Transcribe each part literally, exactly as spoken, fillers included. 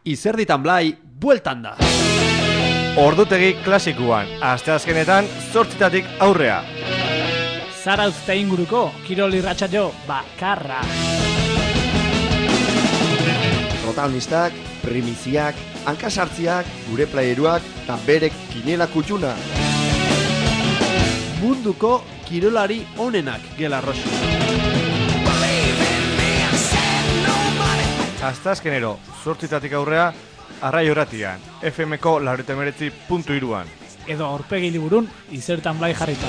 Izerditan Blai, bueltan da. Ordutegi klasikuan, asteazkenetan zortzitatik aurrea. Zarauzte inguruko, kirol irratsaio bakarra. Protagonistak, primiziak, hankasartziak, gure playeruak eta berek kinela kutxuna. Munduko kirolari onenak gela roxu. Asteazkenero, zortzitatik aurrea, Arrai Horatian, F M-ko laurogeita hemeretzi puntu hiruan. Edo aurpegi liburun, Izertan Blai jarrita.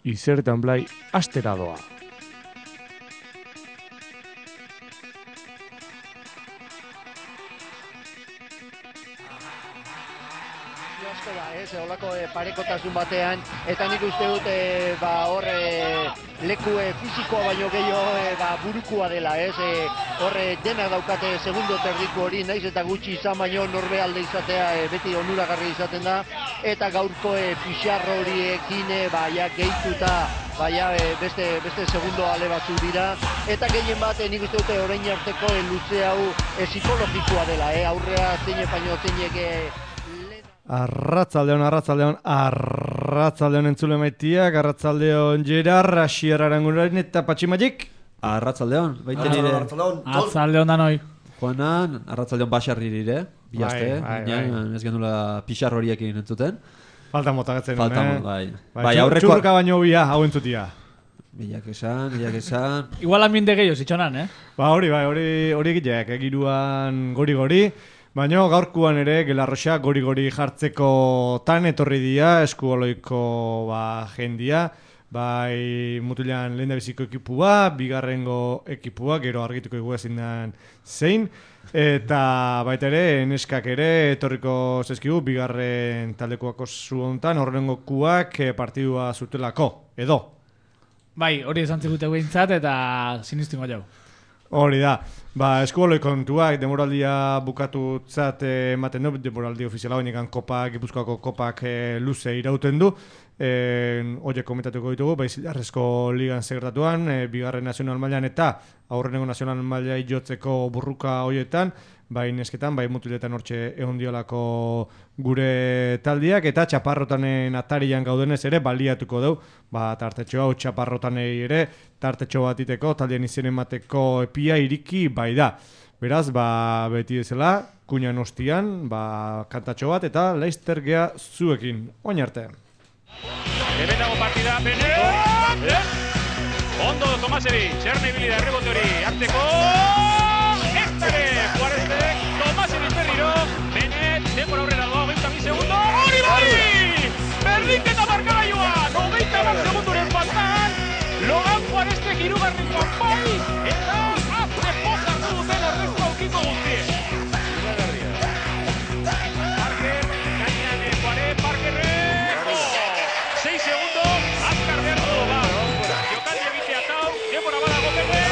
Izertan Blai astera doa. Olako e, parekotasun batean, eta nik uste dut e, ba, hor e, leku e, fisikoa baino gehiago e, ba, burukua dela, ez? E, hor e, denak daukate segundo terdiko hori, naiz eta gutxi izan baino norbe alde izatea e, beti onuragarri izaten da, eta gaurko e, pixarro horiekin e, ba, ja, gehituta ba, ja, e, beste, beste segundo ale batzu dira, eta gehien bat e, nik uste dute orain arteko e, luze hau e, psikologikoa dela, e, aurrea zeine baino zeinek e, Arratzaldeon, arratzaldeon, arratzaldeon entzule maitiak, arratzaldeon Gerard, Asier Arangurain eta Patximagik. Arratzaldeon, baita nire. Arratzaldeon da noi. Juanan, arratzaldeon basarri nire, bihazte, ez genula pixar horiekin entzuten. Falta motagatzen, Falta eh? mot, bai. Bai, bai aurreko... Txurruka baino bia, hau entzutia. Bilak esan, bilak esan. Igual ambiente gehiago zitxonan, eh? Ba, hori, bai, hori, hori egileak, egiruan gori-gori. Baina gaurkuan ere Gelarroxa gori-gori jartzeko tan etorri dira, eskuoloiko ba, jendia, bai mutilean lehen da biziko ekipua, bigarrengo ekipua, gero argituko egu ezin den zein, eta baita ere neskak ere etorriko zezkigu, bigarren taldekoako zu hontan, horrengo kuak partidua zutelako, edo. Bai, hori esan zigute behintzat eta sinistingo jau. Hori da, ba, eskuboloi kontuak, demoraldia bukatutzat ematen du, demoraldi ofiziala honekan kopak, Gipuzkoako kopak e, luze irauten du, e, horiek komentatuko ditugu, bai Zilarrezko ligan segretatuan, e, bigarren nazional mailan eta aurrenengo nazional maila jotzeko burruka horietan, bai nesketan, bai mutiletan hortxe egon diolako gure taldiak, eta txaparrotanen atarian gaudenez ere baliatuko dugu, ba, tartetxo hau txaparrotanei ere, tartetxo bat iteko, taldien izen emateko epia iriki bai da. Beraz, ba, beti ezela, kuinan ostian, ba, kantatxo bat, eta laizter gea zuekin, oin arte. Hemen dago partida, Benet! Ondo, Tomaseri, txerne ibili da errebote hori, hartzeko! Eztare, Juarezek, Tomaseri berriro, Benet, denbora aurrera doa, hogeita bi segundo, hori bai! Berdinketa markagailua, hogeita bat segunduren faltan, Logan Juarezek hirugarren kanpai, eta azte pozak duten errezko aukiko guztien. Parker, gainean Juarez, Parkerrek, sei segundo, azkar behar du, ba. Jokaldi egitea tau, denbora badago Benet!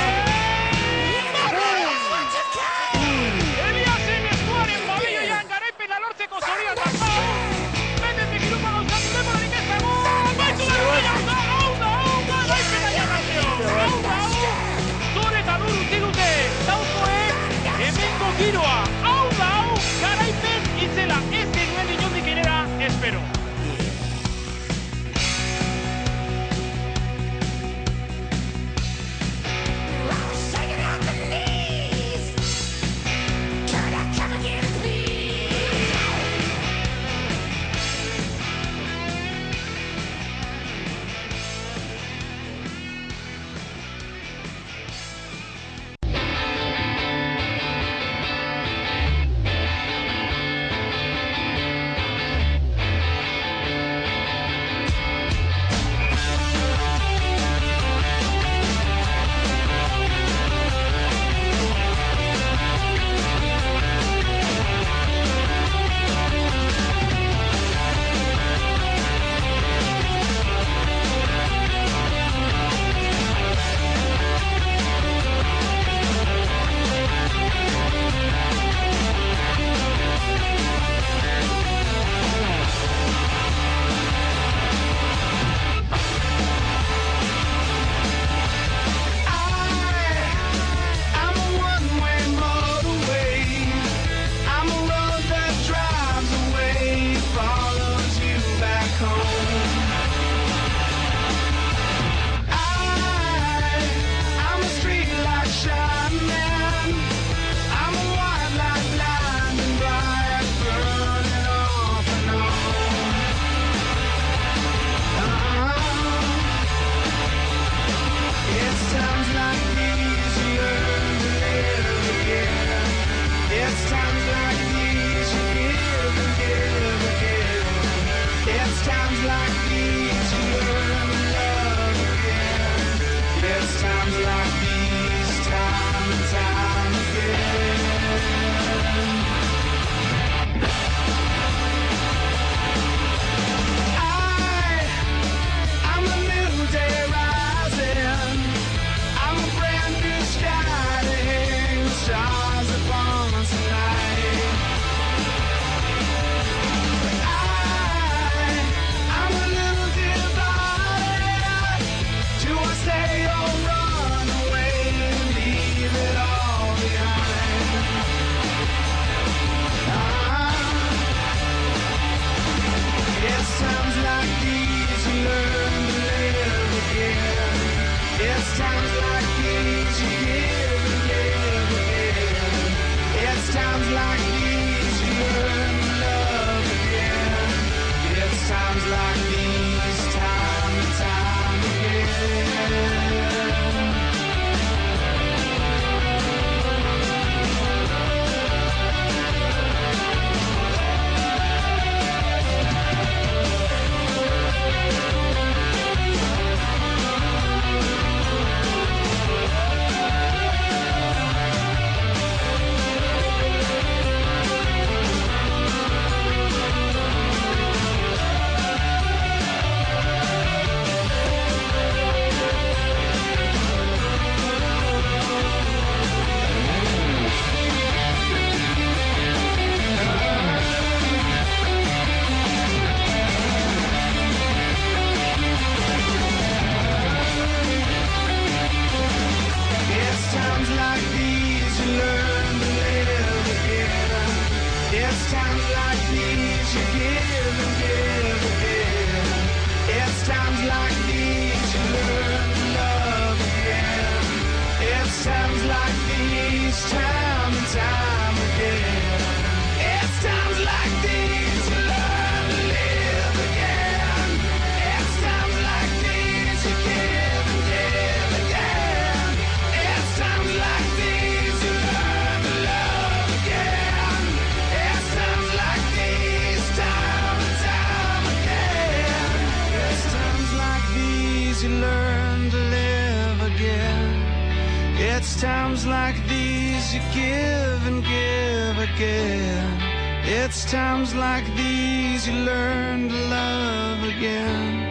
It's times like these you learn to love again.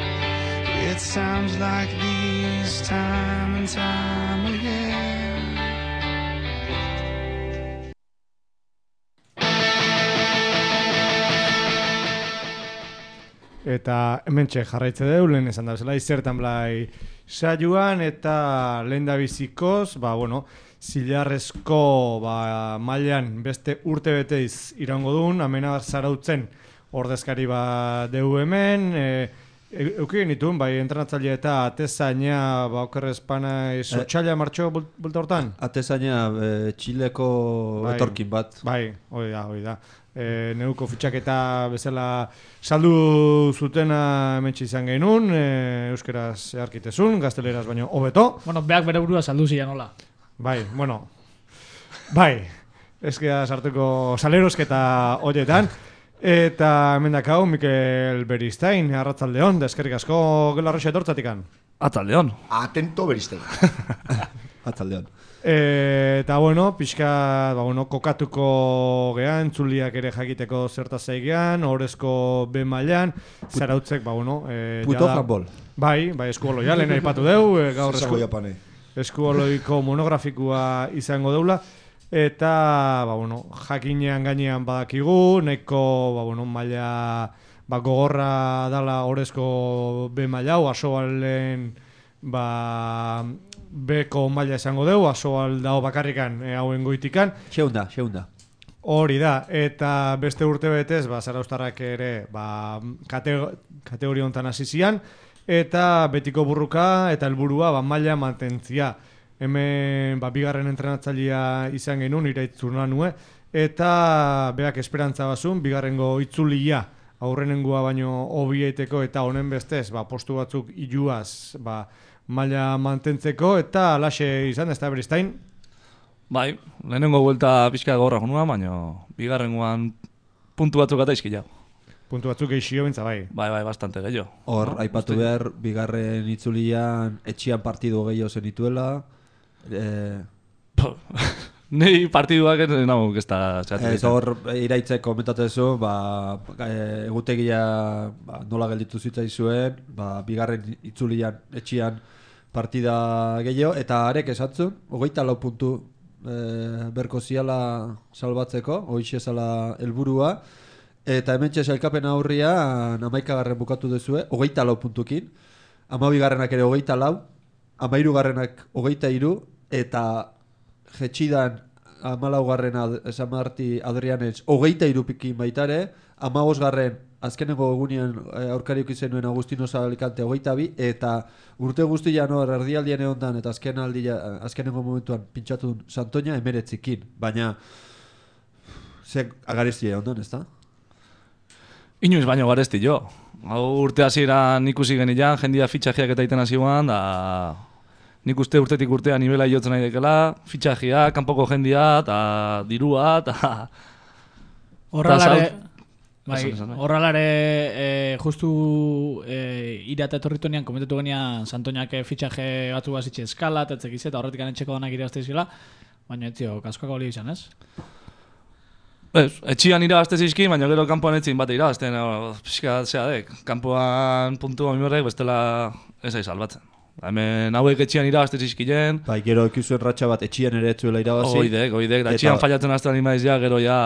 It's times like these, time and time again. Eta hementxe jarraitze deu, lehen esan da bezala, izertan blai saioan, eta lehen da bizikoz, ba, bueno, zilarrezko ba, mailan beste urte beteiz irango duen, amena zarautzen ordezkari ba deu hemen, e, Euki genituen, bai, entrenatzailea eta atezaina, ba, okerrez pana, esotxaila martxo bulta hortan? Atezaina, e, Txileko bai, etorkin bat. Bai, hoi da, hoi da. E, neuko fitxaketa bezala saldu zutena hementsi izan genuen, e, euskeraz earkitezun, gazteleraz baino hobeto. Bueno, beak bere burua saldu zian, hola. Bai, bueno, bai, ezkera sartuko salerosketa horietan. Eta hemendak hau, Mikel Beristain, arratzaldeon, deskerrik asko gelarroxa etortzatikan. Atzaldeon. Atento Beristain. Atzaldeon. E, eta bueno, pixka, ba, bueno, kokatuko gean, entzuliak ere jakiteko zertaz zaigean, horrezko B mailan, zarautzek, ba, bueno... E, Puto handball. Bai, bai, eskuoloia, lehen aipatu deu, e, gaur esku, eskuoloiko monografikoa izango deula. Eta, ba, bueno, jakinean gainean badakigu, nahiko, ba, bueno, maila, ba, gogorra dala horrezko B maila, asobalen, ba, Beko maila esango deu, asobal dao bakarrikan, e, hauen goitikan. Xeunda, xeunda. Hori da, eta beste urte betez, ba, Zarauztarrak ere, ba, kate, kategoria hontan hasi zian, eta betiko burruka eta helburua ba, maila mantentzia. Hemen ba, bigarren entrenatzailea izan genuen, iraitzurna nue, eta beak esperantza bazun, bigarrengo itzulia aurrenengoa baino hobieteko eta honen bestez, ba, postu batzuk iluaz ba, maila mantentzeko, eta alaxe izan, ez da Beristain? Bai, lehenengo buelta pixka gorra jonua, baina bigarrengoan puntu batzuk eta izkila. Puntu batzuk geixio bentza, bai. Bai, bai, bastante gehiago. Hor, no? aipatu Uste... behar, bigarren itzulian etxian partidu gehiago zenituela. Eh... Nei partiduak ez nago ez da txatzen. Ez hor, iraitzek komentatezu, ba, egutegia ba, nola gelditu zitzaizuen, ba, bigarren itzulian etxian partida gehiago, eta arek esatzun, hogeita lau puntu e, berko ziala salbatzeko, hoixe zala helburua, eta hementxe sailkapen aurrian hamaikagarren bukatu duzue, hogeita lau puntukin, hamabigarrenak ere hogeita lau, hamairugarrenak hogeita hiru, eta jetxidan hamalaugarrena San Marti Adrianetz hogeita hiru pikin baitare, hamabosgarren azkenengo egunean aurkariuk izenuen Agustino Zabalikante hogeita bi, eta urte guztian hor erdialdien egondan eta azken aldia, azkenengo momentuan pintxatu duen Santoña emeretzikin, baina ze agariztia ondan, ez da? Inoiz baino garesti jo. Hau urte hasieran ikusi genian, jendia fitxajeak eta iten hasi guan, da nik uste urtetik urtea nivela jotzen nahi dekela, fitxajeak, kanpoko jendia, eta dirua, eta... Horralare, bai, horralare e, justu e, irata etorritunean komentatu genian Santoñak fitxaje batzu bazitxe eskala, eta etzekiz eta horretik anetxeko danak irazte izela, baina etzio, kaskoak hori izan, ez? Ez, etxian irabazte zizki, baina gero kanpoan etzin bate irabazten, pixka zea dek, kanpoan puntu amimorrek bestela ez aiz salbatzen. Hemen hauek etxian irabazte zizkilen. Bai, gero ekizuen ratxa bat etxian ere etzuela irabazi. Oidek, oidek, da etxian fallatzen azten imaiz ja, gero ja...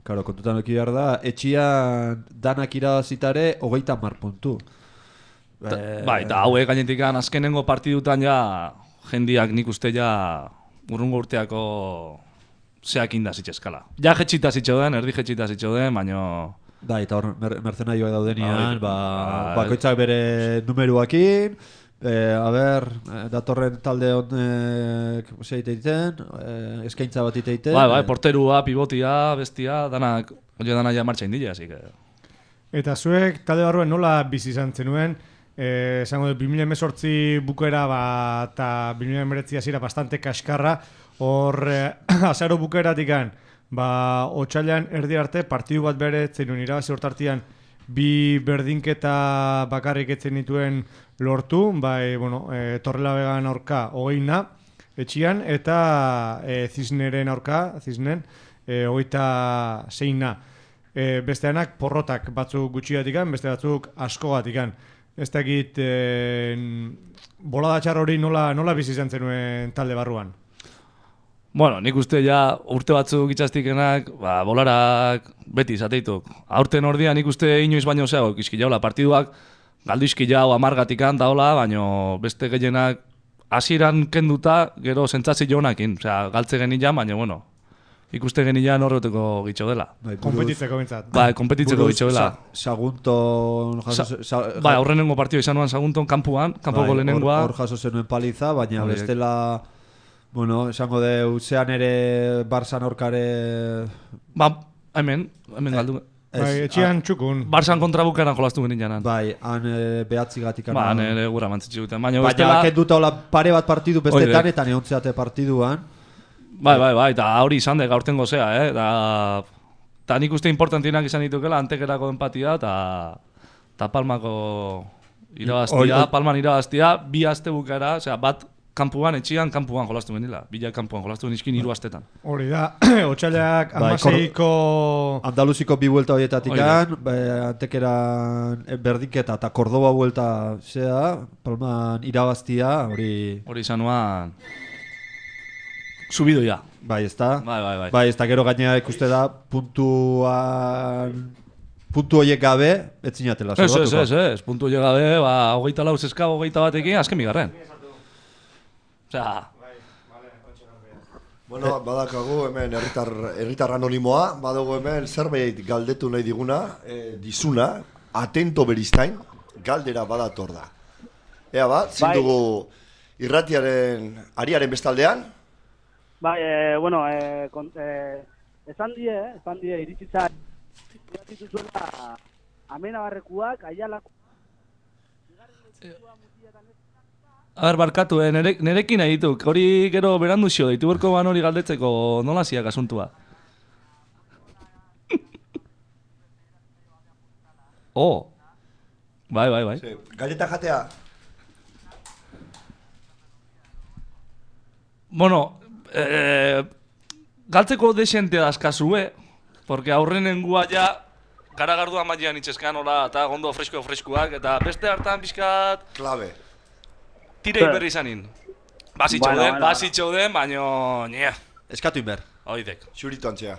Karo, kontutan eki behar da, etxian danak irabazitare hogeita hamar puntu. Ta, e... Bai, eta hauek gainetikan azkenengo partidutan ja jendiak nik uste ja urrungo urteako zeak inda zitxeskala. Ja jetxita zitxoden, erdi jetxita zitxoden, baino... Da, eta hor mer mercenarioak daudenian, ba, bakoitzak bere numeruakin, eh, a ber, datorren talde honek zeite egiten, eh, eskaintza bat egiten. Bai, bai, porterua, pivotia, bestia, danak, oio dana ja martxa indile, así que... Eta zuek talde barruen nola bizi izan zenuen, eh, esango dut, bi mila hemezortzi bukaera ba, eta bi mila hemeretzi hasiera bastante kaskarra, hor eh, azaro bukaeratikan, ba, otxailan erdi arte partidu bat bere zenuen irabazi hortartian bi berdinketa bakarrik etzen dituen lortu, bai, bueno, e, Torrelavega aurka hogeina etxian, eta e, Cisneren aurka, Cisnen, e, hogeita zeina. e, besteanak porrotak batzuk gutxigatikan, beste batzuk askogatikan. Ez dakit e, bolada txar hori nola, nola bizi izan zenuen talde barruan? Bueno, nik uste ja urte batzuk itxastikenak, ba, bolarak beti zateituk. Aurten ordia nik uste inoiz baino zeago, izkilaula partiduak, galdu izkilau amargatikan daola, baino beste gehienak hasieran kenduta, gero sentsazio honakin. Osea, galtze genian, baina, bueno, ikuste genian horreteko gitxo dela. Bai, konpetitzeko bintzat. Bai, konpetitzeko gitxo dela. Sagunton... Bai, aurrenengo partio izan nuan Sagunton kanpuan, kanpoko lehenengoa. Hor jaso zenuen paliza, baina bestela... Bueno, esango de zean ere Barsan aurkare... Ba, hemen, hemen galdu. Bai, etxian txukun. Barsan kontra bukaran jolastu genin janan. Bai, han behatzi gatik. Ba, han ere gura mantzitsi duten. Baina, baina kenduta hola pare bat partidu bestetan eta neontzeate partiduan. Bai, bai, bai, eta hori izan de gaurten gozea, eh? Eta nik uste importantinak izan ditukela, antekerako empatia eta Palmako irabaztia, Palman irabaztia, bi aste bukara, osea, bat kanpuan, etxian, kanpuan jolastu genila. Bila kanpuan jolastu geniskin hiru astetan. Hori da, otxailak amaseiko... Andaluziko bi buelta horietatik an, antekeran berdinketa eta Kordoba buelta zea, Palman irabaztia, hori... Hori izan nuan... Subidoia. Bai, ez da? Bai, bai, bai. Bai, ez da, gero gainera ikuste da, puntuan... Puntu horiek gabe, etzinatela. Ez, ez, ez, ez, puntu horiek gabe, ba, hogeita lau zeska, hogeita batekin, azken bigarren. Osea... Bueno, badakagu hemen herritar herritar anonimoa, badago hemen zerbait galdetu nahi diguna, eh, dizuna, atento beristain, galdera badator da. Ea ba, zin dugu irratiaren ariaren bestaldean? Bai, eh, bueno, eh, kon, eh, esan die, esan die, iritsitza, iritsitzuela amenabarrekuak, aialako... A ber, barkatu, eh, nere, nerekin nahi dituk, hori gero berandu xio, ditu berko ban hori galdetzeko nola ziak asuntua. Oh, bai, bai, bai. Sí. Galleta jatea? Bueno, eh, galtzeko desente dazkazue, porque aurrenengua ja garagarduan mailean itxeskan hola, eta gondo fresko-freskoak, eta beste hartan pixkat... Klabe. Tirei berri izanin. Basitxo bueno, den, bueno, basitxo den, baino... Nia. Eskatu inber. Oidek. Xurito antzea.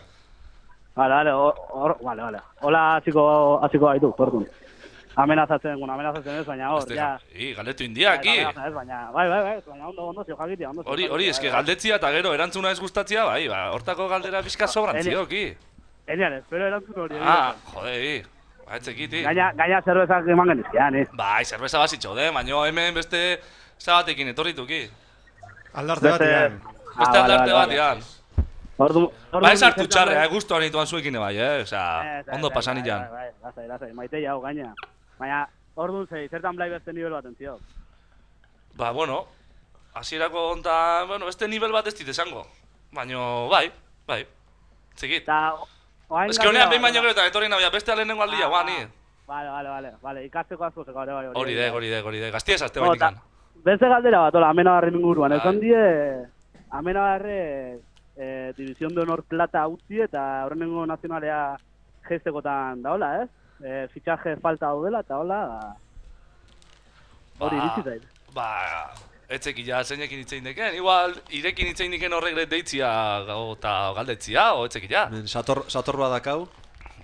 Vale, vale, or, vale, vale. Hola, hasiko hasiko gaitu, tortun. Amenazatzen, bueno, amenazatzen ez, baina hor, ja... I, galdetu india, aquí. Ez, baina, bai, bai, bai, baina ondo, ondo, zio jakitia, ondo. Hori, hori, eske galdetzia eta gero erantzuna ez gustatzia, bai, ba, hortako galdera bizka sobrantzio, ki. Enian, espero erantzun hori. Ah, jode, i. Ba, etzekiti. Gaina, gaina zerbezak eman genizkian, eh? Bai, zerbeza basitxo den, baino hemen beste... Zabatekin etorrituki. Aldarte batean. Beste aldarte batean. Ordu... Ba, ez hartu txarre, eh, guztu anituan zuekin bai, eh? Osa, ondo pasan ilan. Bai, bai, lasai, lasai, maite jau gaina. Baina, orduan zei, zertan blai beste nivel bat entzio? Ba, bueno, hasierako onta, bueno, beste nivel bat ez dit esango. Baina, bai, bai, txikit. Ez que honean behin baino gero eta etorri nabia beste alenengo aldia, guan, ni. Vale, vale, vale, vale, ikasteko asko zeko, bai, hori. Hori de, hori de, hori de, gaztia esazte baitikan. Beste galdera bat, hola, amenabarren inguruan, esan die, amenabarre eh, División de Honor Plata utzi eta horrenengo nazionalea geistekotan da, hola, ez? Eh, fitxaje falta daudela eta hola, hori iritsi zait. Ba, etzeki ja zeinekin itzein deken, igual, irekin itzein deken horrek deitzia eta galdetzia, o etzeki ja. Sator, sator badakau?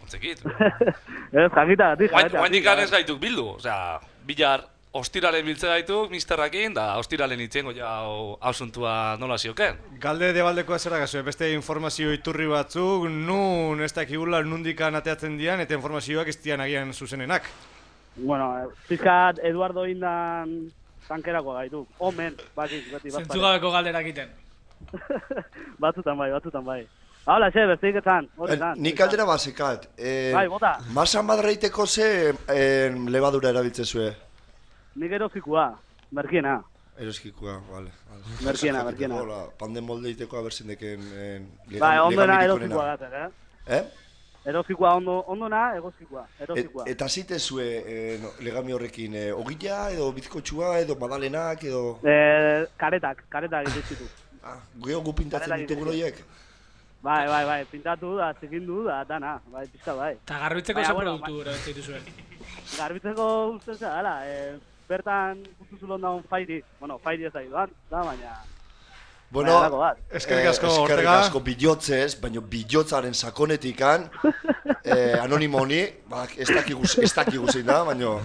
Etzekit. Ez, jakita, gati, jakita. Oain dikan ez gaituk bildu, osea, bilar... Ostiralen biltze gaituk, misterrakin, da ostiralen itzengo ja hausuntua nola zioken. Galde debaldekoa zera gazu, beste informazio iturri batzuk, nun ez dakigula nundikan ateatzen dian, eta informazioak ez dian agian zuzenenak. Bueno, pizkat Eduardo Indan tankerako gaituk, omen, bakik, beti bat. Zentzugabeko galderak iten. Batzutan bai, batzutan bai. Hala, xe, besteik etzan, hori zan. Nik aldera basekat. Bai, bota. Masa madreiteko ze lebadura erabiltze zue? Nik erozikua, merkiena. Erozikua, vale. Merkiena, merkiena. Hola, panden moldeiteko aberzindeken... Bai, ondona erozikua gaten, eh? Eh? Erozikua, ondona egozikua, erozikua. Eta zite zue legami horrekin, ogila edo bizkotxua edo madalenak edo... Karetak, karetak egitzitu. Geo gu pintatzen ditugu horiek? Bai, bai, bai, pintatu da, zikindu da, dana, bai, pizka, bai. Eta garbitzeko ze produktu erabiltzen zuen. Garbitzeko ustez gara, eh, bertan gustu zulon daun fairi, bueno, fairi ez da iduan, da, baina... Bueno, eskerrik asko, eskerrik Ortega. asko bilotzez, baina bilotzaren sakonetikan, eh, anonimo honi, ba, ez dakigu ez dakigu zein da, baina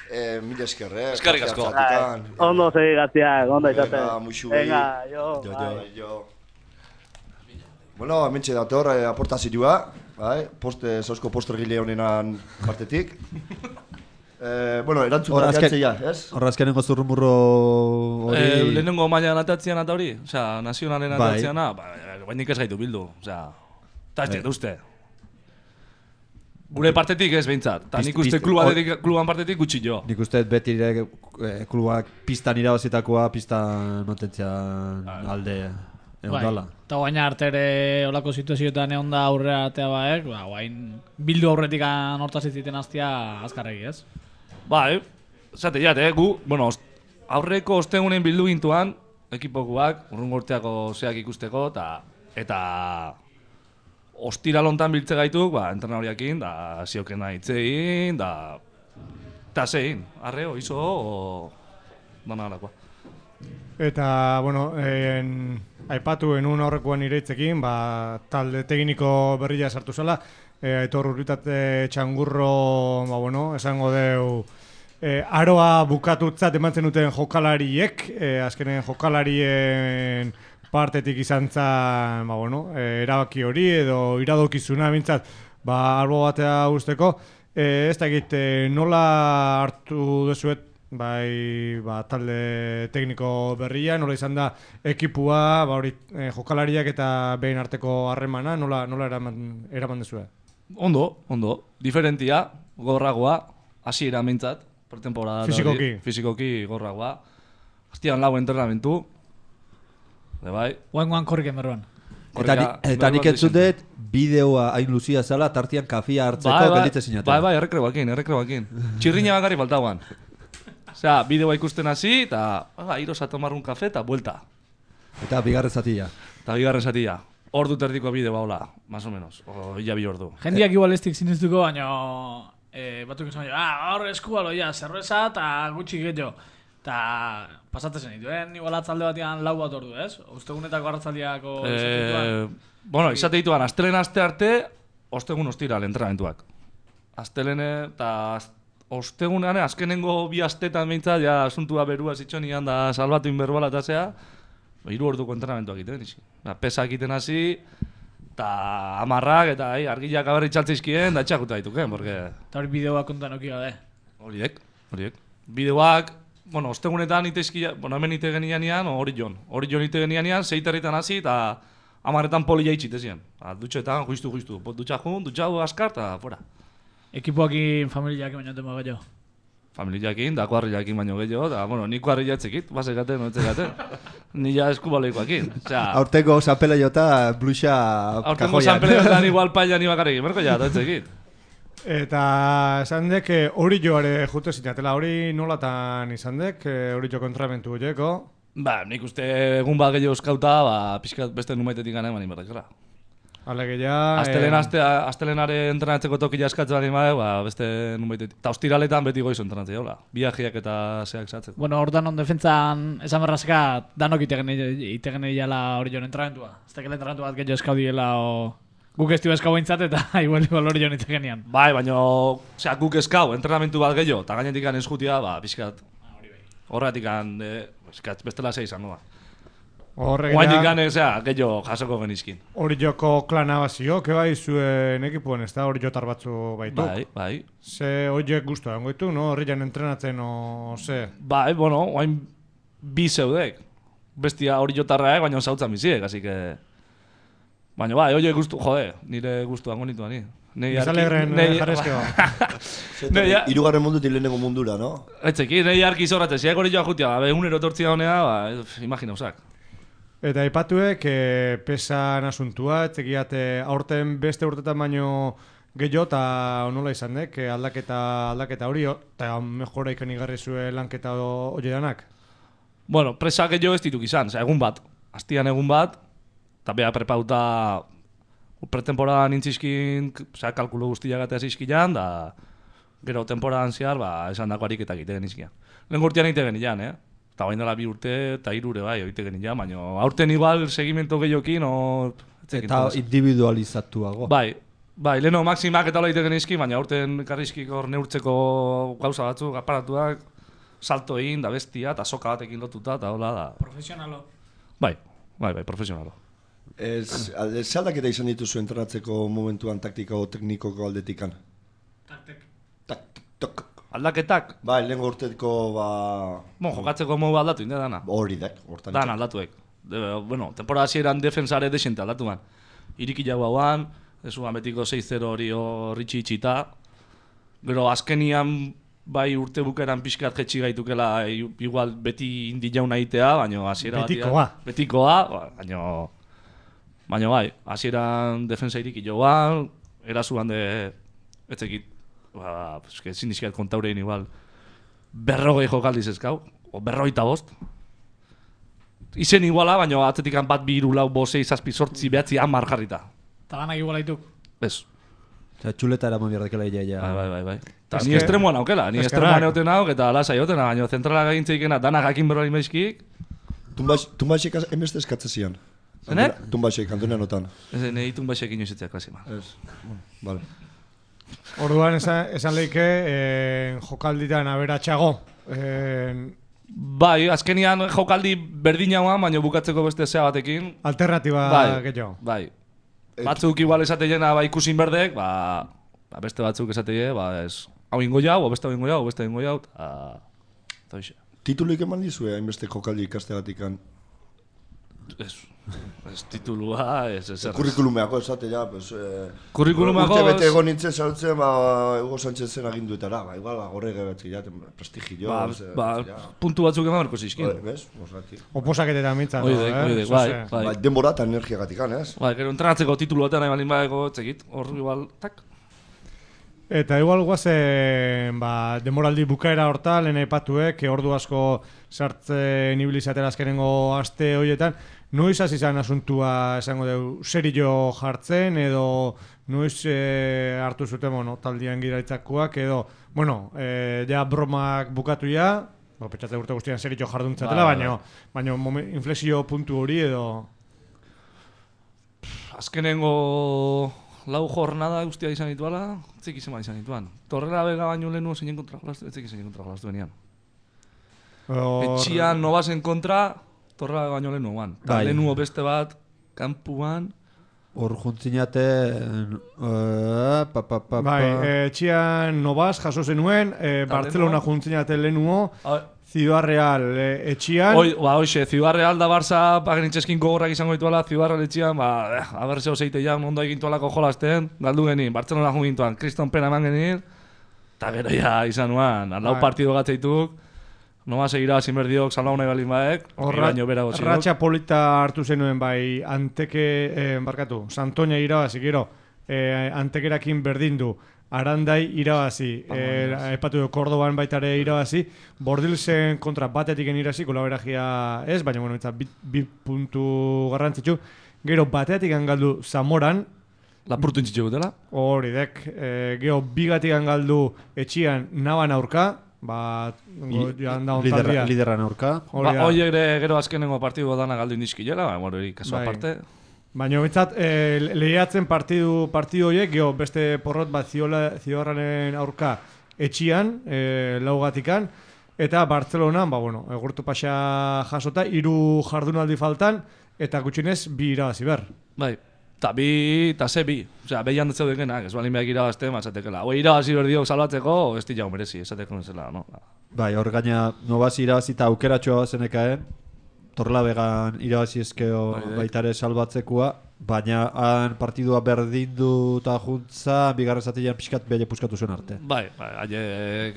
eh, mila esker, eh? Eskerrik asko. Ondo segi gaztiak, ondo izaten. Venga, muixu. Venga, jo, Jo, bai. jo, jo. Bueno, hementxe dator, eh, aportazioa, bai, poste, zausko postergile honenan partetik. Eh, bueno, erantzun da jatzea, ez? Horra azkenengo zurrumurro hori... Eh, lehenengo mailan atatzean eta hori, osea, nazionalen Bai. atatzeana, ba, bainik ez gaitu bildu, osea, eta ez dut uste. Gure partetik ez behintzat, eta nik uste kluban partetik gutxi jo. Nik uste beti ere eh, klubak pistan irabazitakoa pistan mantentzea alde egon Bai, dala. eta guaina arte ere olako situazioetan egon da aurrera atea baek, ba, guain bildu aurretik hortaz iziten aztia azkarregi, ez? Bai, zate jate, eh, gu, bueno, ost, aurreko ostegunen bildu gintuan, ekipokuak, urrungo urteako zeak ikusteko, eta eta ostira lontan biltze gaituk, ba, entrenadoriakin, da, ziokena hitzein, da, eta zein, arreo, izo, o, dana alakoa. Eta, bueno, en, aipatu enun aurrekoan ireitzekin, ba, talde tekniko berria sartu zela, e, Aitor Urritate Txangurro, ba, bueno, esango deu, e, aroa bukatutzat emantzen duten jokalariek, e, azkenen jokalarien partetik izan zen, ba, bueno, e, erabaki hori edo iradokizuna bintzat, ba, albo batea usteko, e, ez da egite nola hartu dezuet, bai, ba, talde tekniko berria, nola izan da ekipua, ba, hori, e, jokalariak eta behin arteko harremana, nola, nola eraman, eraman dezue? Ondo, ondo, diferentia, gorragoa, hasi eramintzat, pretemporada. Fisikoki. Fisikoki gorragoa. Hastian lau entrenamentu, de bai. Guan-guan korriken berroan. Eta, ni, eta nik entzutet bideoa hain luzia zala, tartian kafia hartzeko bai, bai, gelditze sinatzen. Bai, bai, errekreboakin, errekreboakin. Txirriña bakarri faltauan. Osea, bideoa ikusten hasi, eta ah, iros a tomar un café, eta buelta. Eta bigarren zatia. Eta bigarren zatia. Ordu terdiko bideoa, hola, más o menos. O, illa bi ordu. Jendiak igual ez dik siniztuko, baina eh, batuk izan jo, ah, hor eskubalo, ja, zerreza eta gutxi gehiago. Eta pasatzen zen dituen, igual atzalde batean lau bat ordu, ez? Ostegunetako arratzaldiako eh, bueno, izate dituan, astelen aste arte, ostegun ostiral entrenamentuak. Astelene eta ostegunean, azkenengo bi astetan behintzat, ja, asuntua berua zitxonian da salbatu inberbala eta zea, hiru orduko entrenamentuak egiten, izi. Ba, pesa egiten hasi, eta amarrak, eta ai, argiak aberri txaltzizkien, da etxakuta dituken, porque... Eta hori bideoak kontan oki gabe. Horiek, horiek. Bideoak, bueno, ostegunetan iteizkia, bueno, hemen ite genianean, hori jon. Hori jon ite genianean, zeiterritan hasi, eta amarretan polia itxitezien. Dutxetan, juistu, juistu. Dutxa jun, dutxa du askar, eta fuera. Ekipoakin familiak baino tema gehiago. Familiakin, da kuarrilakin baino gehiago, da, bueno, ni kuarrila etzekit, basekaten, no etxekaten. Ni ja eskubaleikoakin. Osea, aurtengo zanpela jota bluxa kajoian. aurtengo zanpela jotan igual paila ni bakarrik, merko ja, da etzekit. Eta esan dek, hori joare jute zinatela, hori nolatan izan dek, hori jo kontramentu horieko? Ba, nik uste egun bat gehiago eskauta, ba, pixkat beste numaitetik gana eman inberrekera. Alegia... Astelen, aste, astelenare entrenatzeko tokia eskatzen bani bade, ba, beste numaitetik. Eta ostiraletan beti goizu entrenatzea, hola. Biajiak eta zeak zatzen. Bueno, hor danon defentzan esan berrazeka danok itegen egin hori joan entrenamentua. Ez tekele entrenamentu bat gehiago eskau diela, o... Guk ez dio eskau bintzat eta igual igual hori joan itegenian. Bai, baina, osea, guk eskau, entrenamentu bat gehiago, eta gainetik eskutia, ba, pixkat. Horretik an, eskat, bestela zei izango da. Horregia... Guainik gane, osea, gehiago jasoko genizkin. Hori joko klana bazio, ke bai zuen ekipuen, ez da hori jotar batzu baituk. Bai, bai. Ze horiek guztu egon goitu, no? Horri jan entrenatzen, o ze? Bai, bueno, guain bi zeudek. Bestia hori jotarra, baina zautzan biziek, así que... Baina bai, horiek guztu, jode, nire guztu hango nitu ani. Izalegren jarrezkeo. Hirugarren mundutik lehenengo mundura, no? Etzeki, nahi arki zoratzen, ziak hori joa jutia, egunero tortzia honea, ba, imagina usak. Eta aipatuek, e, pesan asuntua, etzekiat aurten beste urtetan baino gehiago eta nola izan dek, aldaketa, aldaketa hori, eta mejora ikan igarri zuen lanketa hori danak? Bueno, presa gehiago ez dituk izan, oza, egun bat. Astian egun bat, eta beha prepauta pretemporada nintzizkin, oza, kalkulo guztiak gatea zizkian, da gero temporadan zehar, ba, esan dako ariketak egiten izkian. Lehen urtean egite genian, eh? Eta bain dela bi urte, eta irure bai, egite genian, baina aurten igual segimento gehiokin, o... Eta individualizatuago. Bai, bai, leheno maximak eta hola egite genizki, baina aurten karrizkik hor neurtzeko gauza batzuk, aparatuak, salto egin, da bestia, eta soka batekin lotuta, eta hola da... Profesionalo. Bai, bai, bai, profesionalo. Ez, ez aldaketa izan dituzu entrenatzeko momentuan taktika o teknikoko aldetikan? Taktek. Taktik, tok. Aldaketak? Bai, lehen urteko, ba... Bon, jokatzeko modu aldatu, inde dana. Hori dek, hortan. Dan aldatuek. De, bueno, temporada hasieran defensare desente aldatu man. Iriki jau hauan, ez uan betiko sei zero hori horritxi itxita. Gero azkenian bai urte bukeran pixkat jetxi gaitukela igual beti indi jauna itea, baina hasiera Betikoa. Betikoa, baina... Baina bai, hasieran defensa iriki joan, erasuan de... Etzekit, ba, eske ezin dizkiat kontaurein igual berrogei jokaldiz ezkau, o berrogeita bost. Izen iguala, baina atzetikan bat bi hiru lau bost sei zazpi zortzi behatzi hamar jarrita. Eta lanak iguala dituk? Ez. Eta txuleta eraman biardekela ia, ja. Bai, bai, bai, bai. Ta ni estremoan aukela, ni estremoan egoten hau, eta lasai egotena, baina zentrala gagintzeikena danak jakin berroi maizkik. Tumbaxek emeste eskatzezian. Zenek? Tumbaxek, Antonia notan. Ez, nahi tumbaxek inoizetzea klasi, man. Ez, vale. Orduan esan, esan leike eh, jokalditan aberatxago. Eh, bai, azkenian jokaldi berdin hauan, baina bukatzeko beste zea batekin. Alternatiba bai, gehiago. Bai. Batzuk igual esateiena ba, ikusin berdek, ba, ba beste batzuk esateie, ba ez, hau ingo jau, o beste hau ingo jau, o beste ingo jau, eta hoxe. Titulik eman dizue, hainbeste jokaldi ikasteagatikan? Ez, ez titulua, ez ez erraz. Kurrikulumeako esate ja, pues... Eh, Kurrikulumeako... Urte bete egon nintzen saltzen, ba, Hugo Sánchezen aginduetara, ba, igual, ba, gorre gebatzi jaten, prestigio... Ba, eh, ba, ja. Puntu batzuk eman berko zizkin. Bez, osati. Oposaketetan mintzat, Oidek, eh? oidek, bai, bai. Ba, denbora eta energiagatikan, ez? Bai, gero entrenatzeko titulu batean nahi balin badeko, txekit, hor igual, tak. Eta igual guazen, ba, demoraldi bukaera horta, lehen aipatuek, ordu asko sartzen ibilizatera azkenengo aste horietan, noiz hasi izan asuntua esango dugu serio jartzen, edo noiz e, hartu zuten, bueno, taldian giraitzakoak, edo, bueno, e, ja bromak bukatu ja, bo, petxatze urte guztian serio jarduntzatela, ba, baina, baina inflexio puntu hori edo... Azkenengo... Lau jornada guztia izan dituala, etzik izan izan dituan. Torrela bega baino lehenu zeinen kontra jolaztu, etzik izan kontra jolaztu benian. Or... Etxian nobazen kontra, torrela bega baino lehenu guan. Bai. Lehenu beste bat, kampuan... Hor juntzinate... Uh, pa, pa, pa, bai, etxian nobaz jaso zenuen, e, Barcelona juntzinate lehenu, Ciudad Real eh, etxian... Hoi, ba, hoxe, Ciudad Real da Barça pagenitxeskin gogorrak izango dituela, Ciudad Real etxian, ba, eh, abertzeo zeite jan, ondo egintualako jolazten, galdu genin, Barcelona jun gintuan, Kriston Pena eman genin, eta gero ja izan nuan, lau partido gatzeituk, noma segira zinberdiok, salau nahi balin baek, iraino bera gozidok. Ratxa polita hartu zenuen bai, anteke, eh, barkatu, Santoña irabazi, gero, eh, antekerakin berdin du, Arandai irabazi, eh, epatu du Kordoban baitare irabazi, Bordilsen kontra batetiken irabazi, kolaberagia ez, baina bueno, bi, bi puntu garrantzitsu. Gero batetik galdu Zamoran. Lapurtu intzitu dela. Hori dek, eh, gero bigatik galdu etxian Naban aurka, ba, joan da ontaldia. Lideran aurka. Ba, hoi gero azkenengo partidu dana galdu indizkilela, ba, bueno, hori kaso aparte. Baina bintzat, e, lehiatzen partidu, partidu horiek, geho, beste porrot bat Ziorraren aurka etxian, e, laugatikan, eta Bartzelonan, ba, bueno, egurtu pasa jasota, hiru jardunaldi faltan, eta gutxinez, bi irabazi ber. Bai, eta bi, eta ze bi. Osea, behian datzeu dekenak, ez balin behak irabazte, mazatekela. Hoi irabazi berdiok salbatzeko, ez di jau merezi, esateko nezela, no? Bai, hor gaina, nobazi irabazi eta aukeratxoa zenekaen, Torrela began irabazi ezkeo baitare salbatzekua, baina han partidua berdindu eta juntza, bigarren zatilean pixkat beha puskatu zuen arte. Bai, bai, aile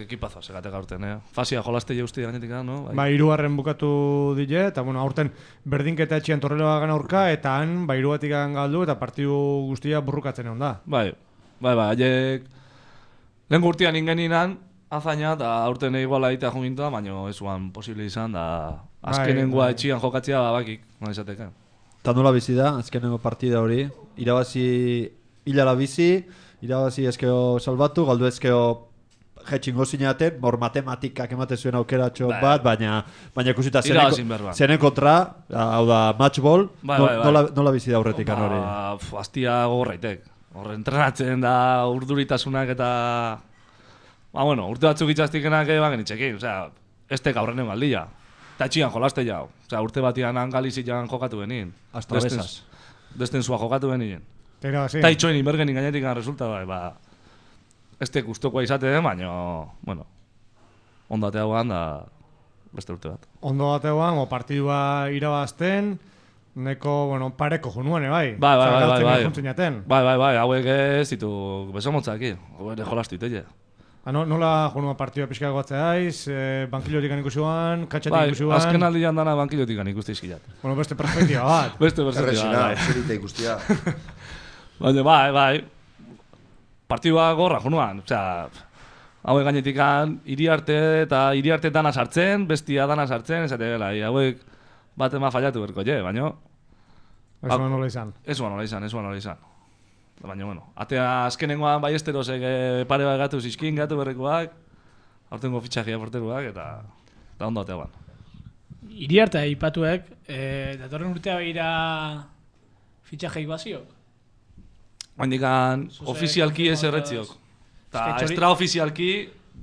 ekipazo segatek aurten, eh? Fasia jolaste jeuzti gainetik, no? Bai, ba, irugarren bukatu dile, eta bueno, aurten berdinketa etxian Torrela began aurka, eta han, ba, irugatik galdu, eta partidu guztia burrukatzen egon da. Bai, bai, bai, aileek lehen gurtian ingeninan, azaina, eta aurten iguala egitea jungintua, baina ez guan posible izan, da azkenengoa etxian jokatzea bakik, no izateka. Eta nola bizi da, azkenengo partida hori. Irabazi hilala bizi, irabazi ezkeo salbatu, galdu ezkeo jetxingo zineaten, mor matematikak ematen zuen aukeratxo Bai. bat, baina baina ikusita Irabazin behar ba. zenen kontra, hau da matchball, Bai, no- bai, bai. nola, nola bizi da aurretik hori. Ba, pf, Aztia gogorraitek. Horre entrenatzen da urduritasunak eta... Ba, bueno, urte batzuk itxastikenak eban genitxekin, osea, ez tek aurrenen galdilla. Eta etxian jolaste jau. Osea, urte batian angalizian jokatu benin. Hasta besas. Desten zua jokatu benin. Eta sí. Eta itxoen inbergenin gainetik resulta bai, ba... Ez tek gustokoa izaten, baina, bueno, ondate hauan da beste urte bat. Ondo batean, o partidua irabazten, neko, bueno, pareko junuen, bai. Bai, bai, bai, bai, bai. Juntzen Bai, bai, bai, hauek ez ditu besomotzak, hau ere jolastu itelle. Ah, no, nola junua partidua pixka gotzea aiz, eh, bankilotik ikusuan, katxatik Bai, ikusuan. azken aldian dana bankilotik ikuste izkilat. Bueno, beste perspektiba bat. Beste perspektiba, Erresina, bai. zerita ikustia. Baina, bai, bai. Partidua gorra junuan, osea, hauek gainetikan hiri arte eta hiri arte dana sartzen, bestia dana sartzen, esate gela, hauek bat ema fallatu berko, je, baina... Ez ba, nola izan. Ez ba nola izan, ez ba nola izan. Baina, bueno, atea azkenengoan bai esterosek e, pare bat gatu zizkin, gatu berrekoak, aurtengo fitxajia porteruak, eta, eta ondo atea ban. Iriarte aipatuek, eh, datorren urtea begira fitxajeik bazio? Handikan Zuzek, ofizialki ez konfirmatu- erretziok. Eta Eske txori- extraofizialki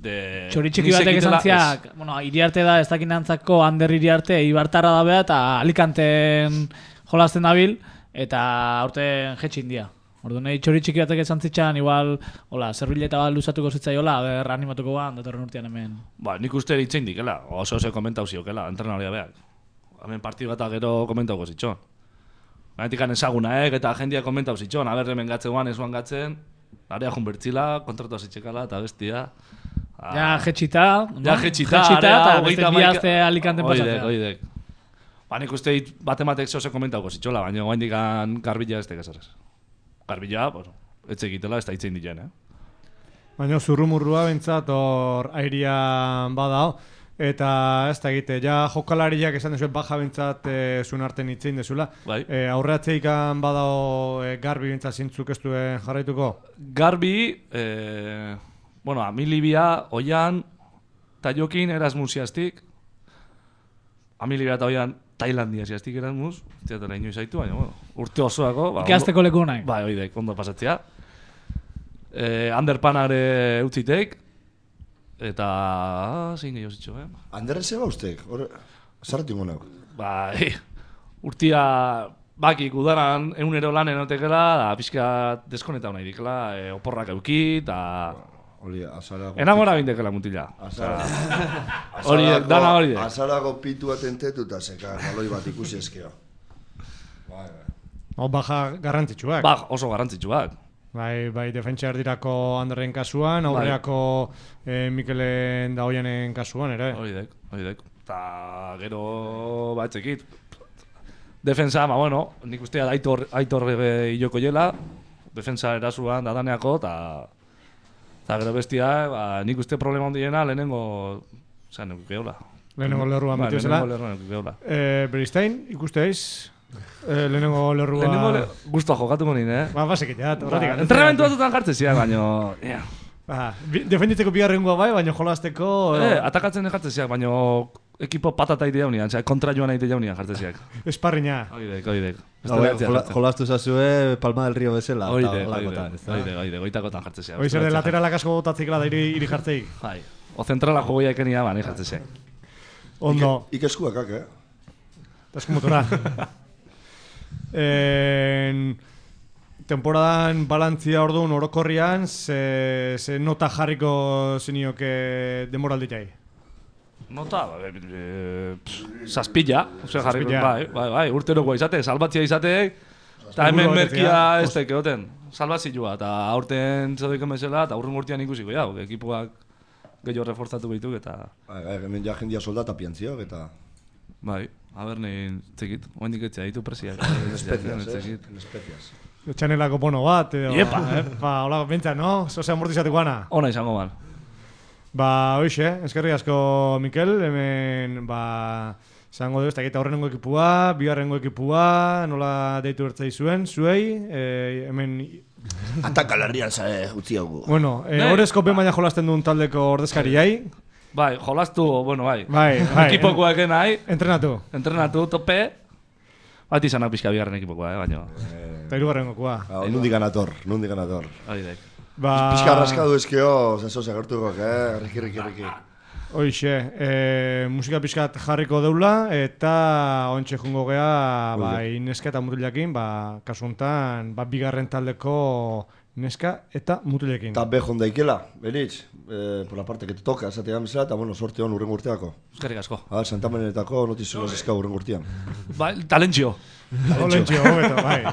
de... Txoritxiki ni batek sekitela esan ziak, bueno, Iriarte da, ez dakinantzako Ander Iriarte, Ibartarra da bea, eta Alicanten jolasten dabil, eta aurten jetxin dia. Ordu nahi txoritxiki batek esan zitxan, igual, hola, zerbileta bat luzatuko zitzaiola, ber animatuko ban, datorren urtean hemen. Ba, nik uste ditzein dikela, oso oso komentau ziokela, entrenaria beak. Hemen partidu eta gero komentauko zitxon. Gainetikan ezagunaek eta jendia komentau zitxon, aber hemen gatzeguan, ezuan gatzen, area jun bertzila, kontratu azitxekala eta bestia. Ah, Ja, jetxita, no? Ja, jetxita, jetxita, area, eta hogeita beste bi hamaika- aste Alicanten Oidek, pasatzea. oidek. Ba, nik uste dit bat ematek zehose komentauko zitxola, baina gaindikan garbila ez tekazarez. Garbila, pues, etxe egitela ez da itzein ditzen, eh? Baina zurrumurrua bentsat hor airian badao. Eta ez da egite, ja jokalariak esan dezuen baja bentsat e, zuen arten itzein dezula. Bai. E, aurreatzeikan badao e, garbi bentsat zintzuk ez duen jarraituko. Garbi, eh, bueno, Amilibia, Oian, eta Jokin Erasmusiastik. Amilibia eta Oian Tailandia ziastik Erasmus. Ziatela inoiz zaitu, baina, bueno, urte osoako. Ba, Ikasteko ondo- leku nahi. Bai, oidek, ondo pasatzea. Eh, Anderpanare utzitek. Eta... Ah, zein gehiago zitxo, eh? Anderren zeba ustek, hor... Zarratu ingo nauk. Bai, urtia bakik udaran egunero lan enotekela, da pixka deskonetau nahi dikela, e, oporrak euki, eta... Hori, azarago... Enamora bindekela mutila. Azarago... Horiek, dana horiek. Azarago pitu atentetu eta zeka, galoi bat ikusi eskeo. Bai, bai. Hau baja garrantzitsuak. Ba, oso garrantzitsuak. Bai, bai, defentsa erdirako Anderren kasuan, aurreako eh, Mikelen Daoianen kasuan ere. Horiek, horiek. Eta gero batzekit. Defensa, ba, bueno, nik ustea aitor, aitor eh, iloko jela. Defensa erasuan dadaneako, eta... Eta gero bestia, ba, nik uste problema hondiena lehenengo... Osa, nuk geola. Lehenengo lerruan ba, betiozela. lehenengo lerruan nuk geola. Eh, Beristain, ikusteaiz? Eh, lehenengo lerrua... Lehenengo le... Guztua jokatuko nien, eh? Ba, basekiteat, Ba, horretik. entrenamentu batzutan jartzen ziak, baina... Yeah. Ba, bi- defenditzeko bigarrengoa bai, baina jolasteko... Eh, atakatzen jartzen ziak, baina ekipo patata ite jaunian, osea, kontra joan aite jaunian jartzen ziak. Esparrina. Oidek, oidek. Hauek, jola- jolastu zazue Palma del Rio bezala. eta Oidek, holakotan, oidek, ez da? oidek, oidek, oitakotan jartzen ziak. Hoi zer de lateralak asko botatzikela da iri, iri jartzeik. Bai, o zentrala jogoia ekenia, ba, nahi jartzen ziak. Ondo. Ike, ikeskuakak, eh? Tasko motora. en... Temporadan balantzia orduan orokorrian, ze, ze nota jarriko zenioke demoralditai? Nota, ba, e, e, pff, zazpila, ose jarri, Zazpila. bai, bai, bai, urterokoa izate, salbatzia izate, eta hemen Helburu merkia batetik, ez teke goten, salbazioa, eta aurten txadoiken bezala, eta aurren urtean ikusiko, ja, ekipuak gehiago reforzatu behituk, eta... Bai, bai, hemen ja jendia soldata piantziok, eta... Bai, haber nahi txekit, oendik etxea, ditu presiak. Especias, eh? Especias. Txanelako bono bat, edo... Iepa. Eh? Ba, hola, bentsa, no? Zose amortizateko ana. Ona izango ban. Ba, hoxe, eskerri asko, Mikel, hemen, ba, Zango dugu, ez dakit aurrenengo ekipua, bigarrengo ekipua, nola deitu bertzai zuen, zuei, e, hemen... Atakalarrian zae, utzi hau. Bueno, e, horrezko ben baina jolasten duen taldeko ordezkariai. Bai, jolastu, bueno, bai. Bai, bai. Ekipokoak nahi. Entrenatu. Entrenatu, tope. Bat izanak pixka bigarren ekipokoa, eh, baina. Eta irugarrengokoa. Nundik ganator, nundik ganator. Aidek. Ba... Pixka raskadu ezkeo, zazo zagertuko, eh? Riki, riki, riki. Hoixe, e, musika pixkat jarriko deula, eta ontxe jungo gea, ba, neska eta mutilekin, ba, kasu honetan, ba, bigarren taldeko neska eta mutilekin. Eta bejon daikela, Benitz, eh, por la parte que te toca, esatea gamizela, eta bueno, sorte hon urren urteako. Eskerrik asko. Ah, Santamenetako notizioz eskau urren urtean. Bai, talentzio. Talentzio, hobeto, bai.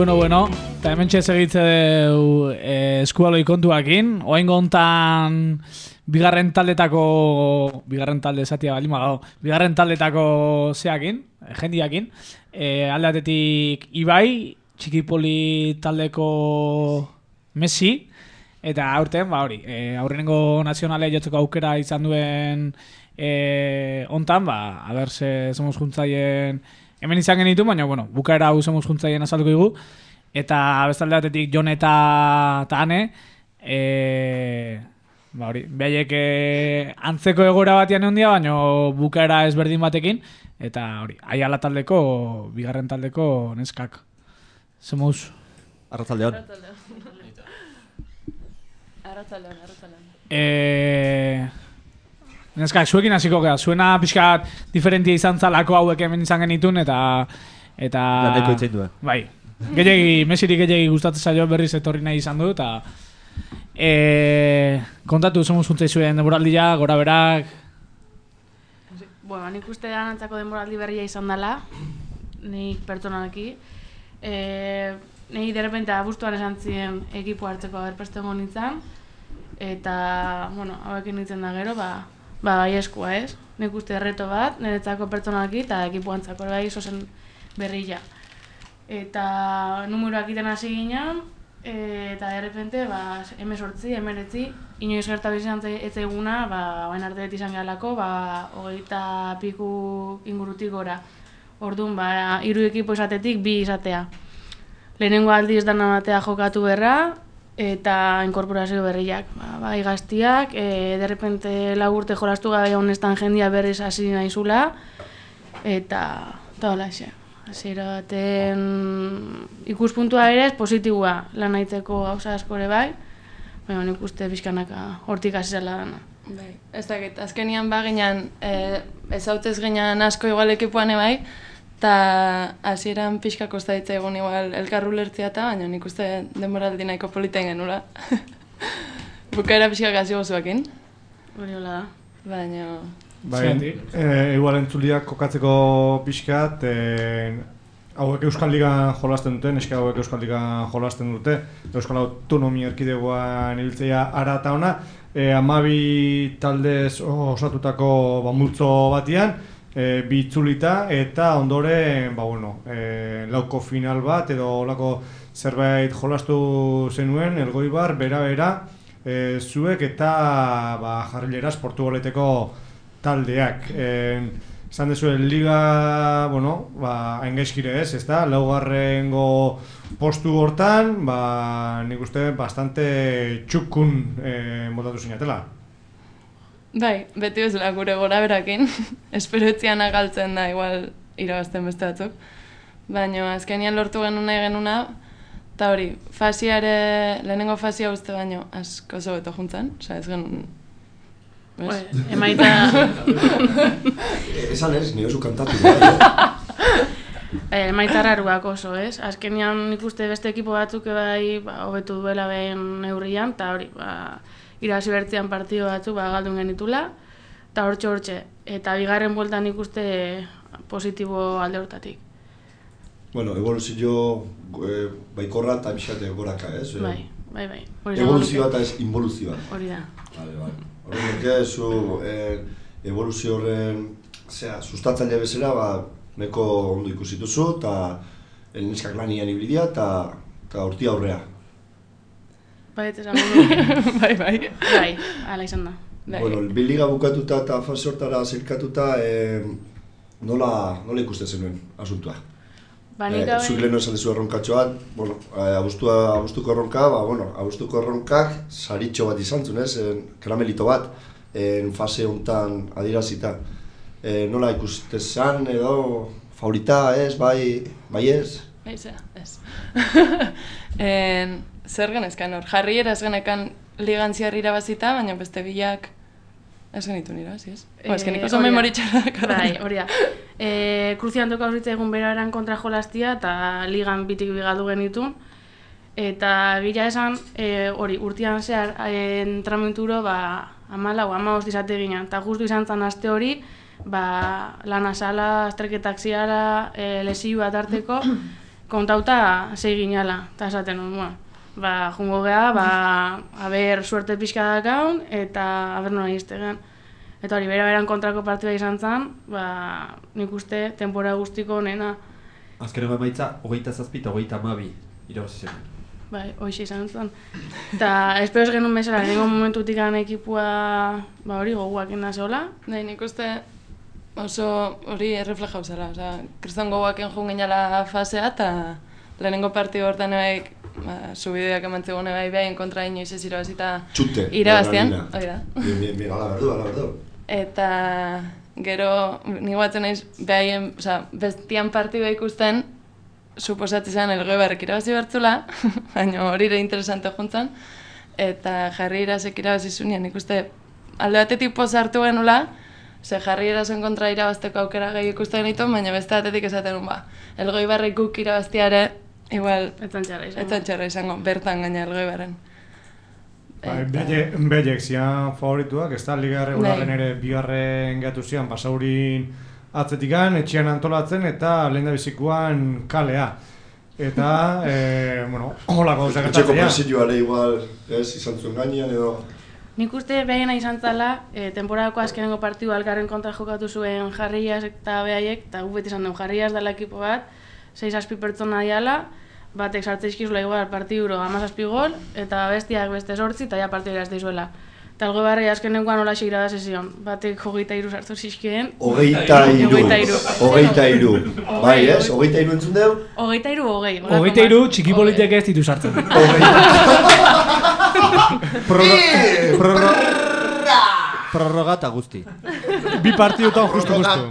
Bueno, bueno, eta hemen txez egitze du eh, eskualoi kontuakin. Oain gontan bigarren taldetako, bigarren talde esatia bali magago, bigarren taldetako zeakin, jendiakin, e, alde batetik Ibai, Txikipoli taldeko Messi, eta aurten, ba hori, e, aurrenengo nazionale jotzeko aukera izan duen e, ontan, ba, a ber, ze somos juntzaien, hemen izan genitu, baina, bueno, bukaera hau somos juntzaien azalduko dugu, eta bestalde batetik Jon eta Ane, e, ba hori, behaiek e, antzeko egoera batian egon dia, baina bukaera ezberdin batekin, eta hori, Aiala taldeko, bigarren taldeko neskak. Zemuz? Arratzaldeon. Arratzaldeon, arratzaldeon. Eh, neskak, zuekin hasiko gara, zuena pixkat diferentia izan zalako hauek hemen izan genitun, eta... eta Laneko itzein duen. Bai, gehiagi, Mesiri gehiagi gustatzen zaio berriz etorri nahi izan du, eta... E, kontatu, zemuz juntzei zuen denboraldia, gora berak... Bueno, nik uste danantzako denboraldi berria izan dela, nik pertsonalki. E, Nei derrepente abuztuan esan ziren ekipo hartzeko aberpesten nintzen, eta, bueno, hauekin nintzen da gero, ba, ba bai eskua ez. Nik uste erreto bat, niretzako pertsonalki eta ekipo antzako bai zozen berria. Eta numeroak iten hasi ginen, e, eta derrepente, ba, hemezortzi, hemeretzi, inoiz gerta bizan etzaiguna, ba, bain arte izan gehalako, ba, hogeita piku ingurutik gora. Orduan, ba, hiru ekipo izatetik bi izatea. Lehenengo aldiz dana batea jokatu berra, eta inkorporazio berriak. Ba, bai gaztiak, e, derrepente lau urte jolastu gabe honestan jendia berriz hasi naizula, eta eta hola xe. Hasiera baten ikuspuntua ere ez positiboa lan aitzeko gauza askore bai, baina nik uste bizkanaka hortik hasi zela dana. Bai, ez dakit, azkenian ba ginean, e, ez hautez ginean asko igual ekipuan bai, eta hasieran pixka kosta ditzaigun igual elkarru lertzia eta, baina nik uste denboraldi nahiko politen genula. Bukaera pixka gazi gozuakin. Hori hola da. Baina... Bai, e, igual entzuliak kokatzeko pixkat, e, hauek Euskal Ligan jolasten dute, neska hauek Euskal Ligan jolasten dute, Euskal Autonomia Erkidegoan ibiltzea ara eta ona, e, amabi taldez osatutako ba, multzo batian, e, bi itzulita, eta ondoren, ba, bueno, e, lauko final bat, edo olako zerbait jolastu zenuen, Elgoibar, bera-bera, e, zuek eta ba, Jarrileraz Portugaleteko taldeak. Esan dezuen liga, bueno, ba, haingaizkire ez, ez da? Laugarrengo postu hortan, ba, nik uste bastante txukun e, motatu zinatela. Bai, beti bezala gure gora berakin. Esperetzian agaltzen da, igual irabazten beste batzuk. Baina azkenian lortu genuen nahi genuna, eta hori, fasiare, lehenengo fasia uste baino, asko zobeto juntzen, oza, ez genuen... Pues, emaita... Esan ez, nire zu kantatu da, eh? Emaita raruak oso, ez? Azkenian nik uste beste ekipo batzuk bai hobetu duela behin neurrian, eta hori, ba, irabazi bertzean partido batzuk ba, galdun genitula, eta hortxe hortxe. Eta bigarren bueltan nik uste positibo alde hortatik. Bueno, evoluzio eh, baikorra eta pixate goraka, ez? Bai, bai, bai. Evoluzioa eta ez involuzioa. Hori da. Vale, vale. Horren zu eh, evoluzio horren zera, sustatzaile bezala, ba, neko ondo ikusituzu, eta neskak lanian ibilidia, eta horti aurrea. Bai, ez esan gudu. Bai, bai. Bai, ala izan da. Bueno, biliga bukatuta eta fase hortara zirkatuta, eh, nola, nola ikusten zenuen asuntua? Ba, nik gabe... Zuik lehenu esan dezu erronkatxo bat, bueno, abuztua, abuztuko erronka, ba, bueno, abuztuko erronkak saritxo bat izan zuen, ez, karamelito bat, en fase hontan adierazita. E, nola ikusten zen, edo, favorita, ez, bai, bai ez? Bai, zera, ez. en, zer genezkan hor, Jarriera ez genekan ligan ziar irabazita, baina beste bilak ez genitu irabazi, ez? E, ba, ez genik oso memoritxarrak. Bai, hori da. E, Kruziantoka horritza egun beraran kontra jolastia eta ligan bitik bigaldu genitun. Eta gila esan, e, hori, urtean zehar entrenamentu ba, amala o amabost izate ginen. Eta justu izan zen aste hori, ba, lana sala, azterketak ziala, e, lesio bat arteko, kontauta zei ginala. Eta esaten, bueno, ba, jungo geha, ba, haber suerte pixka dakaun, eta haber nola iztegan. Eta hori, bera-beran kontrako partida izan zen, ba, nik uste, temporada guztiko onena. Azkeneko emaitza, hogeita zazpi eta hogeita hamabi irabazi zen. Bai, hoxe izan zen. Eta espero ez genuen bezala, nengo momentutik gana ekipua, ba hori, goguak enda zehola. Bai, nik uste oso hori erreflejau zela, oza, kriston goguak enjun ginala fasea, eta lehenengo partidu hortan ebaik, ba, subideak emantze gune bai behin kontra inoiz ez irabazita irabaztean. Hori da. Bien, bien, bien, ala berdu, ala berdu. Eta gero, nik batzen naiz, behaien, oza, bestian partidua ikusten, suposatzen zen Elgoi Barrek irabazi bertzula, baina hori ere interesante juntzan, eta Jarri Irasek irabazi zunean, ikuste alde batetik poz hartu genula, ze Jarri Irasen kontra irabazteko aukera gehi ikusten genituen, baina beste batetik esaten un ba, Elgoi Barrek guk irabaztiare, igual, etzan txarra izango. Etzan txarra izango, bertan gaina Elgoi Barren. Belek zian favorituak, ez da, liga regularen ere bigarren gatu zian, pasaurin atzetikan, etxean antolatzen eta lehen da bizikuan kalea. Eta, e, bueno, holako gauzak gertatzea. Etxeko presioare igual, ez, izan zuen gainean edo... Nik uste behena izan zala, e, temporadako azkenengo partidu algarren kontra jokatu zuen Jarriaz eta behaiek, eta gu beti izan duen Jarriaz dela ekipo bat, sei zazpi pertsona diala, batek sartze izkizula igual partiduro hamazazpi gol, eta bestiak beste sortzi, eta ja partidu erazte izuela. Eta Elgoi Barri azkenengoan hola xeira da sesion, batek hogeita iru sartu zizkien. Hogeita iru, hogeita iru, bai ez, hogeita iru entzun deu? Hogeita iru, hogei. Hogeita iru, txiki politek ez ditu sartzen. Prorroga eta guzti. Bi partidutan justu-justu.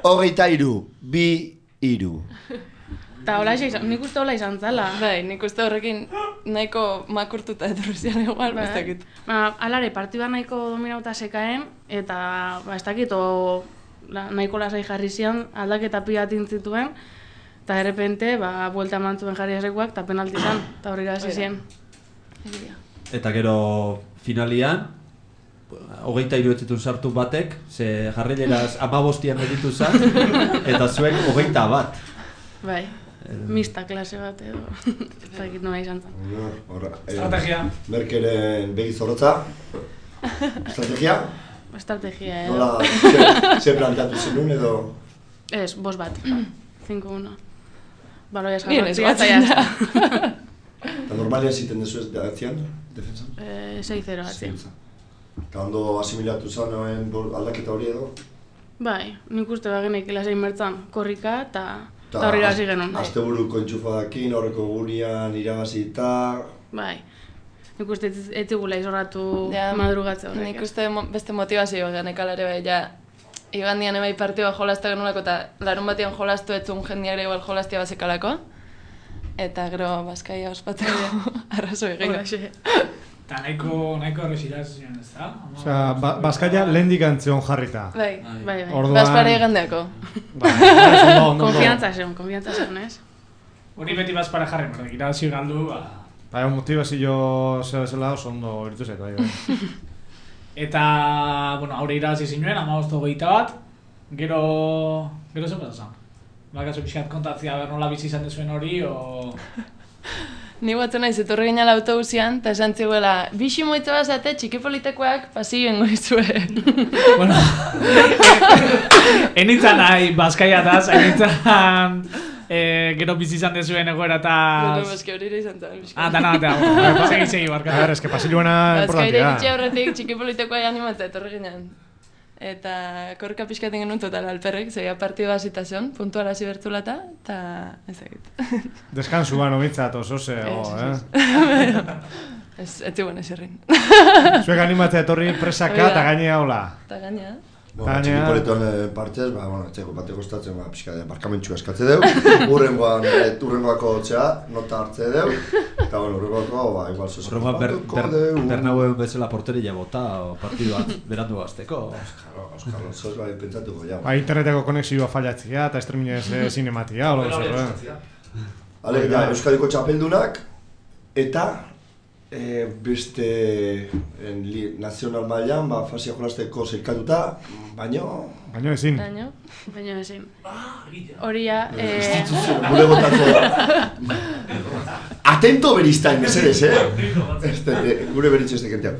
Hogeita iru, bi iru. Eta hola izan, nik uste hola izan zala. Bai, nik uste horrekin nahiko makurtuta etorrizian igual, ba, ez dakit. Ba, alare, partidua nahiko dominauta sekaen, eta ba, ez dakit, o, la, nahiko lasai jarri zian, aldaketa pila tintzituen, eta errepente, ba, buelta eman zuen Jarri Irasekuak, eta penalti izan, eta horri gazi zien. Eta gero finalian, hogeita iru etzitun sartu batek, ze Jarrileraz amabostian editu zan, eta zuek hogeita bat. Bai. Mista klase bat edo, ez dakit nola izan zen. Estrategia. Merkeren begi zorrotza. Estrategia? Estrategia edo. Nola, ze planteatu zenun edo? Ez, bos bat. cinco uno. Baloia esgarratzia eta jazta. Eta normalian ziten dezu ez atzian, defensan? sei zero atzian. Eta ondo asimilatu zanoen aldaketa hori edo? Bai, nik uste bagenek ilasein mertzan korrika eta... Eta horri gazi genuen. Azte buruko entxufadakin, horreko gunian irabazita... Bai. Nik uste ez zigula izorratu madrugatze horrek. Nik uste beste motivazio genek alare bai, ja... Igandian ebai partioa jolazta genulako eta larun batean jolaztu etzun jendiare igual jolaztia bazekalako. Eta gero Bazkaia ospatzeko arrazo egin. Eta nahiko erreziraz ziren, ez da? Osea, Bazkaia lehendik antzion jarrita. Bai, bai, bai. Orduan... Bazpare egandeako. Konfiantza zen, konfiantza zen, ez? Hori beti Bazpare jarri, berdek irabazi galdu, ba... Bai, motivazio zer bezala oso ondo iritu zait, bai. Eta, bueno, haure irabazi zinuen, hamabost hogeita bat, gero... Gero zen bezazan? Bakazu pixkat kontatzea, ber nola bizi izan dezuen hori, o... Ni batzen naiz, etorri ginala autobusian, eta esan ziguela, bixi moitza bazate, txiki politekoak pasioen goizue. Bueno, enitzan nahi Bazkaiataz, enitzan gero bizi izan dezuen egoerataz... Bueno, eski hori ere izan zen. Ah, dana batea, segi, segi, barkatu. A ver, eski pasiluena importantia. Bazkaire ditxe horretik txiki politekoa animatza etorri ginen. Eta korka pixkaten genuen total alperrek, zeia partidu bazitasun, puntuala zibertzulata, eta ez egit. Deskansu ba nomintzat oso zego, eh? Ez, ez zibuen ez irrin. Zuek animatzea etorri presaka eta gainea hola. Eta gainea. Bueno, txiki politoan partez, ba, bueno, txeko bate kostatzen, ba, pixka de barkamentxu eskatze deu, urrengoan, urrengoako txea, nota hartze deu, eta, bueno, urrengoako, ba, igual zozo. Urrengoan Bernauen bezala porteria bota, partiduan berandu gazteko. Oskar, zoz, bai, pentsatuko, ja. Ba, interneteko konexioa fallatzia eta streaminez zinematia, hola zer, Ale, ja, Euskadiko txapeldunak, eta... E, beste en, li, nazional mailan, ba, fasia jolasteko zirkatuta, baino... Baino ezin. Baino, baino ezin. Horia... Instituzio, gure botako da. atento beriztain, mesedez, eh? Este, gure beritxe ez dekentea.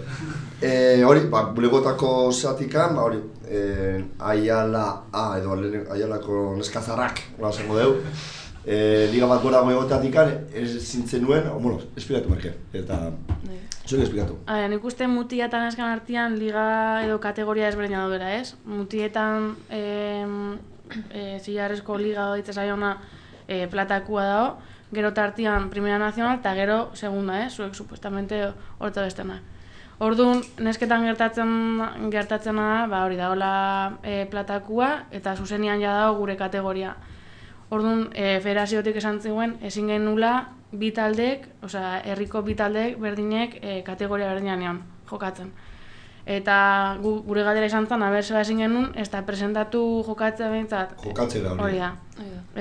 Eh, hori, ba, bulegotako zatikan, ba, hori, eh, Aiala A, edo Aialako neskazarrak, ba, esango deu. Eh, liga bat gora goegotatikan, ez zintzen nuen, bueno, esplikatu merke, eta zuek esplikatu. A nik uste mutia eta neskan artean liga edo kategoria ezberdina daudela, ez? Mutietan eh, eh, zilarrezko liga ditza zaiona eh, platakua dago, gero tartian Primera Nacional eta gero segunda, eh? Zuek supuestamente horta bestena. Orduan, nesketan gertatzen gertatzena da, ba hori dagoela e, platakua eta zuzenian ja dago gure kategoria. Orduan, e, federaziotik esan ziguen, ezin genula bi taldek, osea, herriko bi taldek berdinek e, kategoria berdinean jokatzen. Eta gu, gure galdera izan zen, aber zeba ezin genuen, ez da presentatu jokatzea behintzat. Jokatzera hori. Hori da.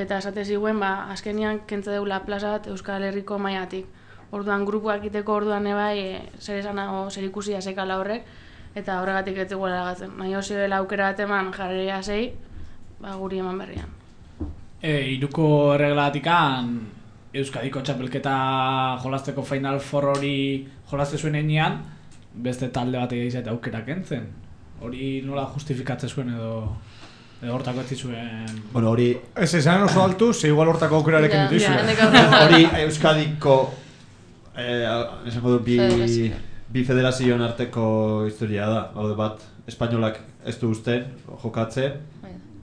Eta esate ziguen, ba, azkenian kentze deula plazat Euskal Herriko mailatik. Orduan grupuak egiteko orduan ebai e, zer esanago zer ikusia sekala horrek, eta horregatik ez zegoela gatzen. Nahi hozibela aukera bat eman jarreria zei, ba, guri eman berrian. E, iruko erreglatikan Euskadiko txapelketa jolasteko Final Four hori jolaste zuen enean, beste talde bat egizate aukera kentzen. Hori nola justifikatzen zuen edo edo hortako ez zuen... Bueno, hori... Ez esan oso altu, ze igual hortako aukerarekin ditu zuen. Hori Euskadiko... Eh, esango du bi, bi federazioen arteko historia da. Haude bat, espainolak ez du usten jokatzen,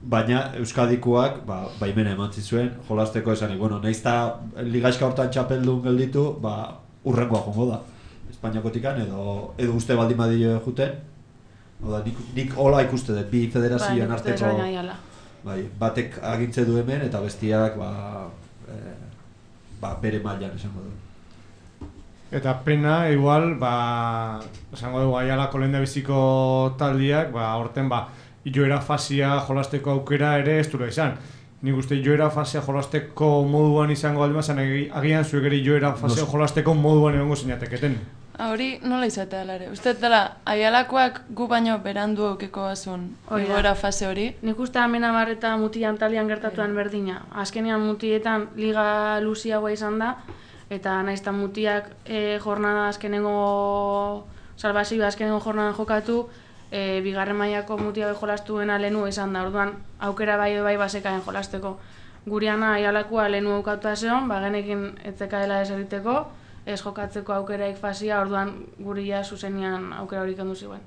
baina Euskadikoak ba, baimena eman zizuen jolasteko esanik. Bueno, nahiz eta ligaizka hortan txapeldun gelditu, ba, urrengoa jongo da. Espainiakotikan edo, edo uste baldin badio juten. Oda, nik, nik hola ikuste dut, bi federazioen ba, arteko bai, batek agintze du hemen eta bestiak ba, eh, ba, bere mailan esango du. Eta pena, igual, ba, esango dugu Aialako lehendabiziko taldiak, ba, horten, ba, joera fasia jolasteko aukera ere ez dura izan. Nik uste joera fasia jolasteko moduan izango aldi mazan, agian zuek ere joera fasia jolasteko moduan egongo zinateketen. Hori nola izatea alare? Uste dela, Aialakoak gu baino berandu aukeko bazun igoera fase hori? Nik uste hemen amar eta mutian talian gertatuan berdina. Azkenean mutietan liga luziagoa izan da, eta naiztan mutiak e, jornada azkenengo salbazioa azkenengo jornadan jokatu, e, bigarren mailako mutia bai jolastuena lehenu izan da, orduan aukera bai bai basekaen jolasteko. Guriana Aialakoa lehenu aukatuta zeon, ba genekin etzekaela ez egiteko, ez jokatzeko aukeraik fasia, orduan guria zuzenian aukera horik kendu ziguen.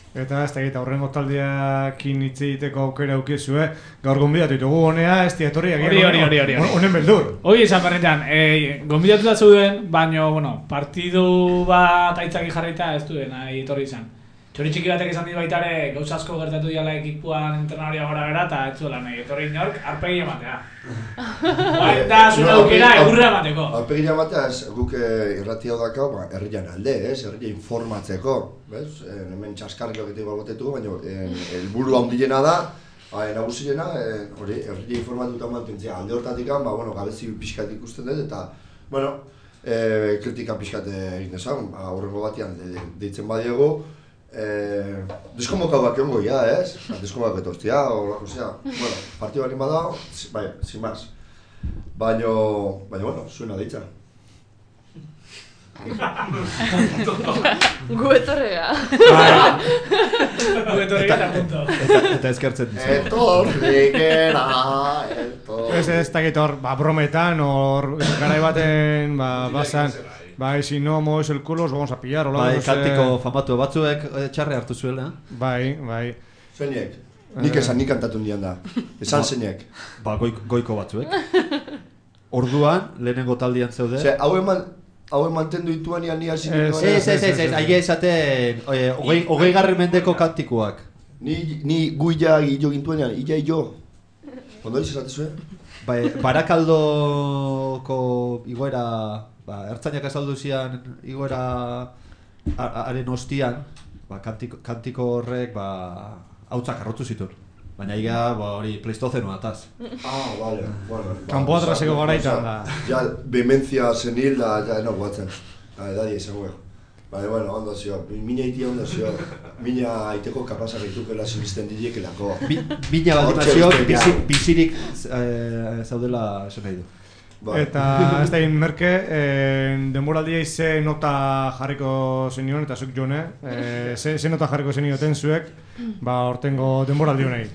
Eta ez da egita, horrengo taldeakin hitz egiteko aukera aukizue, gaur gonbidatu ditugu honea, ez etorri agian hori, hori, hori, hori. Honen beldur. Hoi izan berretan, e, gonbidatu da zeuden, baina, bueno, partidu bat aitzaki jarraita ez duen, nahi etorri izan. Txori txiki batek izan dit baita ere, gauza asko gertatu diala ekipuan entrenaria gora bera, eta ez zuela nahi etorri inork, arpegi ematea. Baita zure aukera egurra emateko. Arpegi ematea, ez, guk irrati hau dakau, ba, herrian alde, ez, herria informatzeko, bez? Hemen txaskarrik loketik balbotetu, baina helburu handiena da, nagusiena, hori, herria informatuta mantentzea. Alde hortatik, ba, bueno, gabezi pixkat ikusten dut, eta, bueno, kritika pixkat egin desan, aurrengo batean deitzen badiego, Eh, deskonbokatuak egongo ya, ez? Deskonbokatuak etortzia, o sea, bueno, partidu balin bada, bai, sin más. Baina, baina, bueno, zuena deitza. Gu etorrega. Gu etorrega eta punto. Eta eskertzen dizu. Etorrigera, etorrigera. Ez ez dakit hor, ba, brometan, hor, garai baten, ba, basan, bai, si no mueves el culo, os vamos a pillar, hola. Bai, kantiko famatu batzuek txarre hartu zuela. Bai, bai. Zeinek? Nik esan, nik kantatu nian da. Esan zeinek. Ba, goiko batzuek. Orduan, lehenengo taldian zeude. Ze, hau eman, hau mantendu dituan ian nia zin dituan. Ez, ez, ez, ez, aia esaten, hogei garren mendeko kantikoak. Ni guia jo gintuan ian, illa jo. Ondo diz esate zuen? Bai, Barakaldoko igoera... Ba, ertzainak azaldu zian igoera haren ostian, ba, kantiko, kantiko horrek ba, hautzak arrotu zituen. Baina iga hori ba, pleistozenoa ataz. Ah, vale, bueno. Kampo atraseko garaitan da. Ja, bementzia senil da, ja, eno guatzen. Da, edadia izango ego. Baina, bueno, ondo zio, mina itia ondo zio. Mina aiteko kapazak itukela sinisten dilekelako. Mina baldimazio bizirik zaudela esan nahi du. Eta ez da egin merke, denboraldia ize nota jarriko zenion, eta zuk jone, ze nota jarriko zenioten zuek, ba, hortengo denboraldi honei.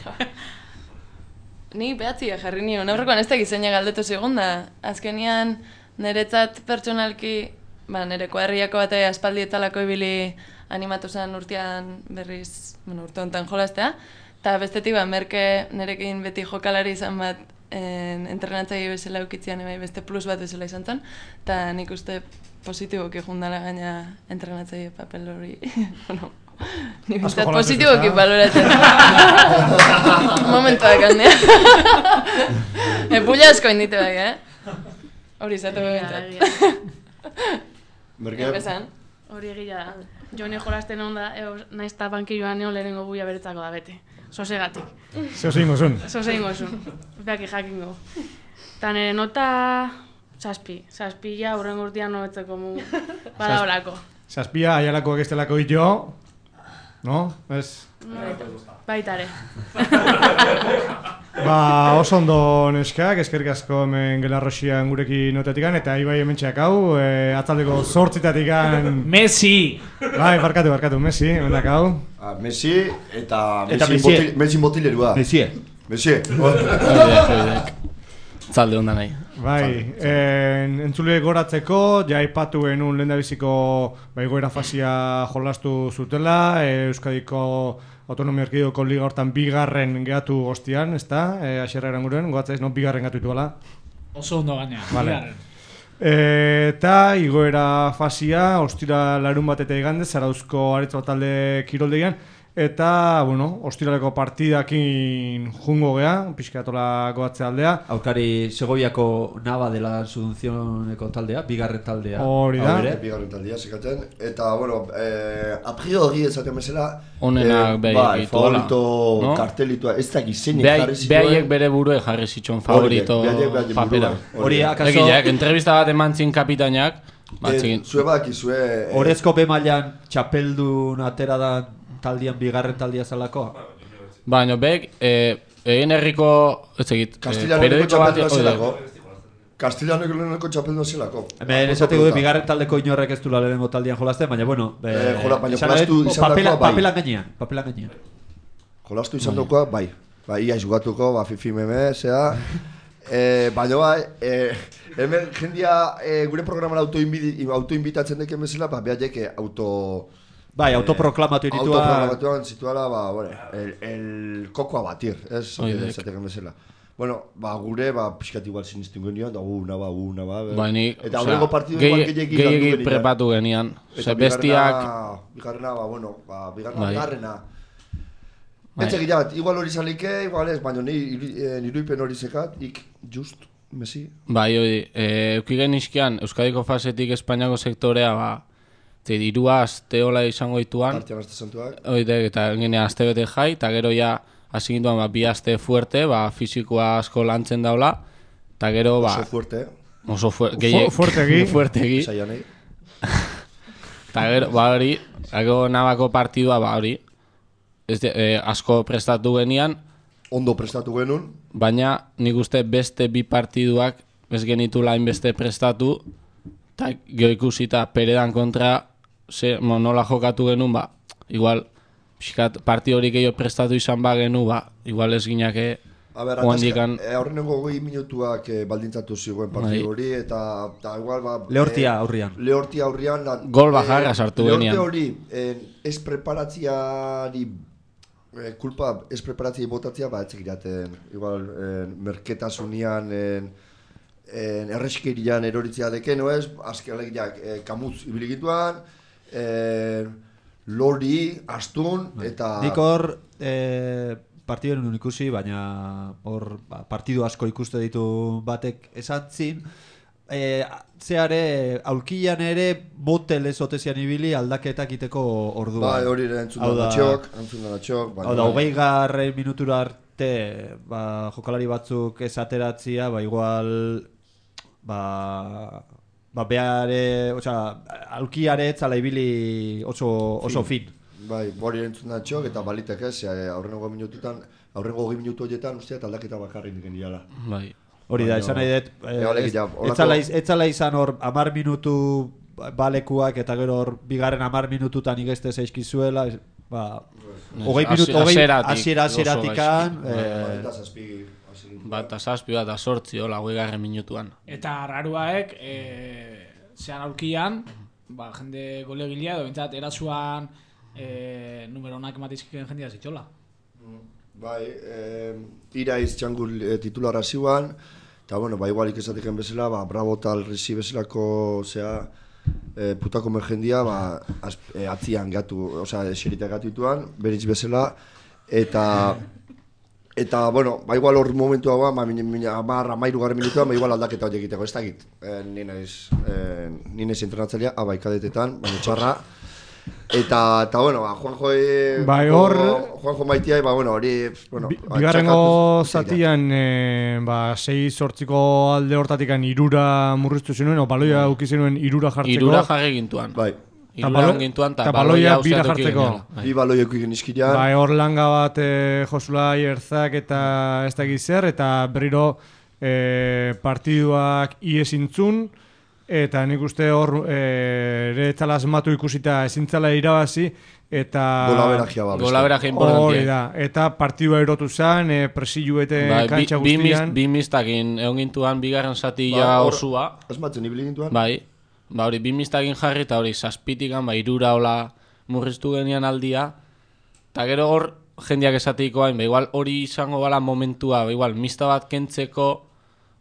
Ni behatzia jarri nion, aurrekoan ez da gizeina galdetu zigun da. Azkenian niretzat pertsonalki, ba, nire kuadriako bate aspaldietalako ibili animatu zen urtean berriz, bueno, urte honetan jolaztea. Eta bestetik, ba, merke nirekin beti jokalari izan bat entrenatzaile bezala eukitzean, bai, beste plus bat bezala izan zen. Eta nik uste positiboki jundala gaina entrenatzaile papel hori, bueno, ni bintzat positiboki baloratzen. Momentuak handea. Epulla asko indite bai, eh? Hori izatu bintzat. Merke? Hori egia da. Jone jolasten onda, naiz eta bankilloan neon lehenengo buia beretzako da bete. Sosegatik. Zeo zein gozun. Zeo zein gozun. Beaki jakingo. Eta nire nota... Zazpi. Zazpila hurrengo urtean nobetzeko mu... Bada horako. Zazpia, aialako egiztelako jo... No? Ez? Baitare. Ba, oso ondo neskak, eskerrik asko hemen Gelarroxian gurekin notetikan, eta Ibai hementxeak hau, e, atzaldeko zortzitatikan... Messi! Bai, barkatu, barkatu, Messi, hemendak hau. Ah, Messi eta Messi botilerua. Messi. Messi. Zalde onda nahi. Bai, en, entzule goratzeko, ja aipatu genuen lehendabiziko baigoera fasia jolastu zutela, e, Euskadiko Autonomia Erkidegoko liga hortan bigarren gehatu ostian, ez da? E, Axerra eranguren, goatzaiz, no? Bigarren gehatu ituela. Oso ondo gaina, vale. Bigarren. E, eta igoera fasia, ostira larun bat eta igande, Zarauzko aretz bat talde kiroldegian, eta, bueno, ostiraleko partidakin jungo gea, pixkatola goatze aldea. Aurkari Segoviako Nava dela Sudunzioneko taldea, bigarren taldea. Hori da. Bigarren taldea, zekaten. Eta, bueno, eh, a priori ezaten bezala, Honenak eh, bai, favorito no? Kartelitoa, ez da gizenik jarri zituen. Behaiek bere burue jarri zituen favorito papera. Hori, akaso... Egileak, entrevista bat eman zin kapitainak. Zue badaki, zue... Horezko B-mailan txapeldun atera da taldian bigarren taldia zalako? Baina, bek, egin herriko, ez egit, periodiko txapeldu zelako. Kastilaneko txapeldu zelako. Hemen esateko du, bigarren taldeko inorrek ez du lehenengo taldian jolazten, baina, bueno... Jola, baina jolastu izan dakoa, bai. Papelan gainean, papelan gainean. Jolastu izan dakoa, bai. Bai, ia izugatuko, ba, fifi meme, zea... Baina, bai, hemen jendia gure programan autoinbitatzen deken bezala, ba, behaiek auto... Bai, autoproklamatu iritua... Autoproklamatuan situala, ba, bueno, el, el koko a batir, ez? Zatekan bezala. Bueno, ba, gure, ba, pixkat igual sinistin genian, da una ba, una ba... Ba, nik, eta aurreko partidu igual gehiagik landu genian. Gehiagik prepatu genian. Eta bestiak... bigarrena, ba, bueno, ba, bigarrena, bigarrena. Etxe gilat, igual hori zalike, igual ez, baina niruipen hori zekat, ik, just, Messi. Bai, hori, eukigen izkian, Euskadiko fasetik Espainiako sektorea, ba... Zer, irua azte hola izango dituan. Artean azte santuak. Oide, eta genea azte bete jai, eta gero ja, hasi ginduan, ba, bi azte fuerte, ba, fizikoa asko lantzen daula, eta gero, ba... Oso fuerte. Oso fuerte. Fuertegi. Fuertegi. Zaianei. Eta gero, ba, hori, gero nabako partidua, ba, hori, ez de, eh, asko prestatu genian. Ondo prestatu genuen. Baina, nik uste beste bi partiduak, ez genitu lain beste prestatu, eta gero ikusita Peredan kontra, ze, mo, nola jokatu genuen, ba, igual, pixkat, parti hori gehiago prestatu izan ba genu, ba, igual ez ginake... A ber, Oandikan... aurrenengo goi minutuak eh, baldintzatu zigoen partidu hori, eta, eta igual, ba... Lehortia aurrian. Eh, Lehortia aurrian... La, Gol bajarra eh, sartu genian. Lehortia hori, eh, ez preparatziari... Eh, kulpa ez preparatziari botatzea, ba, etzek iraten, igual, eh, merketasunian... Eh, En erreskerian eroritzea deken, no ez? Azken alegiak, eh, kamuz ibiligituan, eh, lori, astun, eta... Nik hor eh, partidu nuen ikusi, baina hor ba, partidu asko ikuste ditu batek esatzin, eh, zeare, aulkian ere motel ez otezian ibili aldaketak iteko orduan. Bai, hori ere entzun da txok, entzun da txok. Hau da, hogei garren minutura arte, ba, jokalari batzuk ez ateratzia, ba, igual... Ba, ba beare, osea, aulkiare etzala ibili oso, oso fin. fin. Bai, hori entzun da txok, eta balitek ez, aurrengo minututan, aurrengo hogei minutu horietan, usteat aldaketa bakarrik diken diala. Bai. Hori da, esan nahi dut, etzala izan hor amar minutu balekuak eta gero hor bigarren amar minututan igeste zaizkizuela, ba, hogei minutu, hogei asiera asieratikan, bat azazpi bat azortzi, hola, hogei garren minutuan. Eta raruaek, zean aurkian, ba, jende golegilea, edo bintzat, erasuan e, numero honak ematizkiken jendea zitxola. Bai, eh, iraiz txangul eh, titulara ziuan, eta bueno, ba, igualik esateken bezala, ba, Bravo tal Resi bezalako, zea, eh, putako merjendia, ba, az, eh, atzian gatu, osea, eserita gatu dituan, beritz bezala, eta... Eta, bueno, ba, igual hor momentu hau, ba, amar, amairu garren minutuan, ba, igual aldaketa horiek egiteko, ez dakit. E, ni naiz, e, ni naiz entrenatzailea, abai kadetetan, baina txarra. Eta, eta, bueno, ba, Juanjo... E, bai, hor... Juanjo maitiai, ba, bueno, hori... Bueno, bigarrengo zatian, e, ba, sei sortziko alde hortatikan irura murriztu zenuen, o baloia uki zenuen irura jartzeko. Irura jarri gintuan. Bai. Iruran gintuan, eta baloia bira jartzeko. Bi baloiak egin izkidean. Bai, hor langa bat e, Josulai, Erzak eta ez da zer, eta berriro e, partiduak iesintzun, eta nik uste hor e, ere etzala asmatu ikusita ezintzala irabazi, eta... Golaberagia ba. Golaberagia importantia. Hori da, eta partidua erotu zen, e, presiluete bai, kantxa bi, guztian. Bi mistakin, egon gintuan, bigarren zatila ba, osua. Asmatzen ibili gintuan. Bai. Ba hori, bi mistakin jarri eta hori zazpitikan, ba, irura hola murriztu genian aldia. Eta gero hor, jendeak esatiko hain, ba, igual hori izango bala momentua, ba, igual, mista bat kentzeko,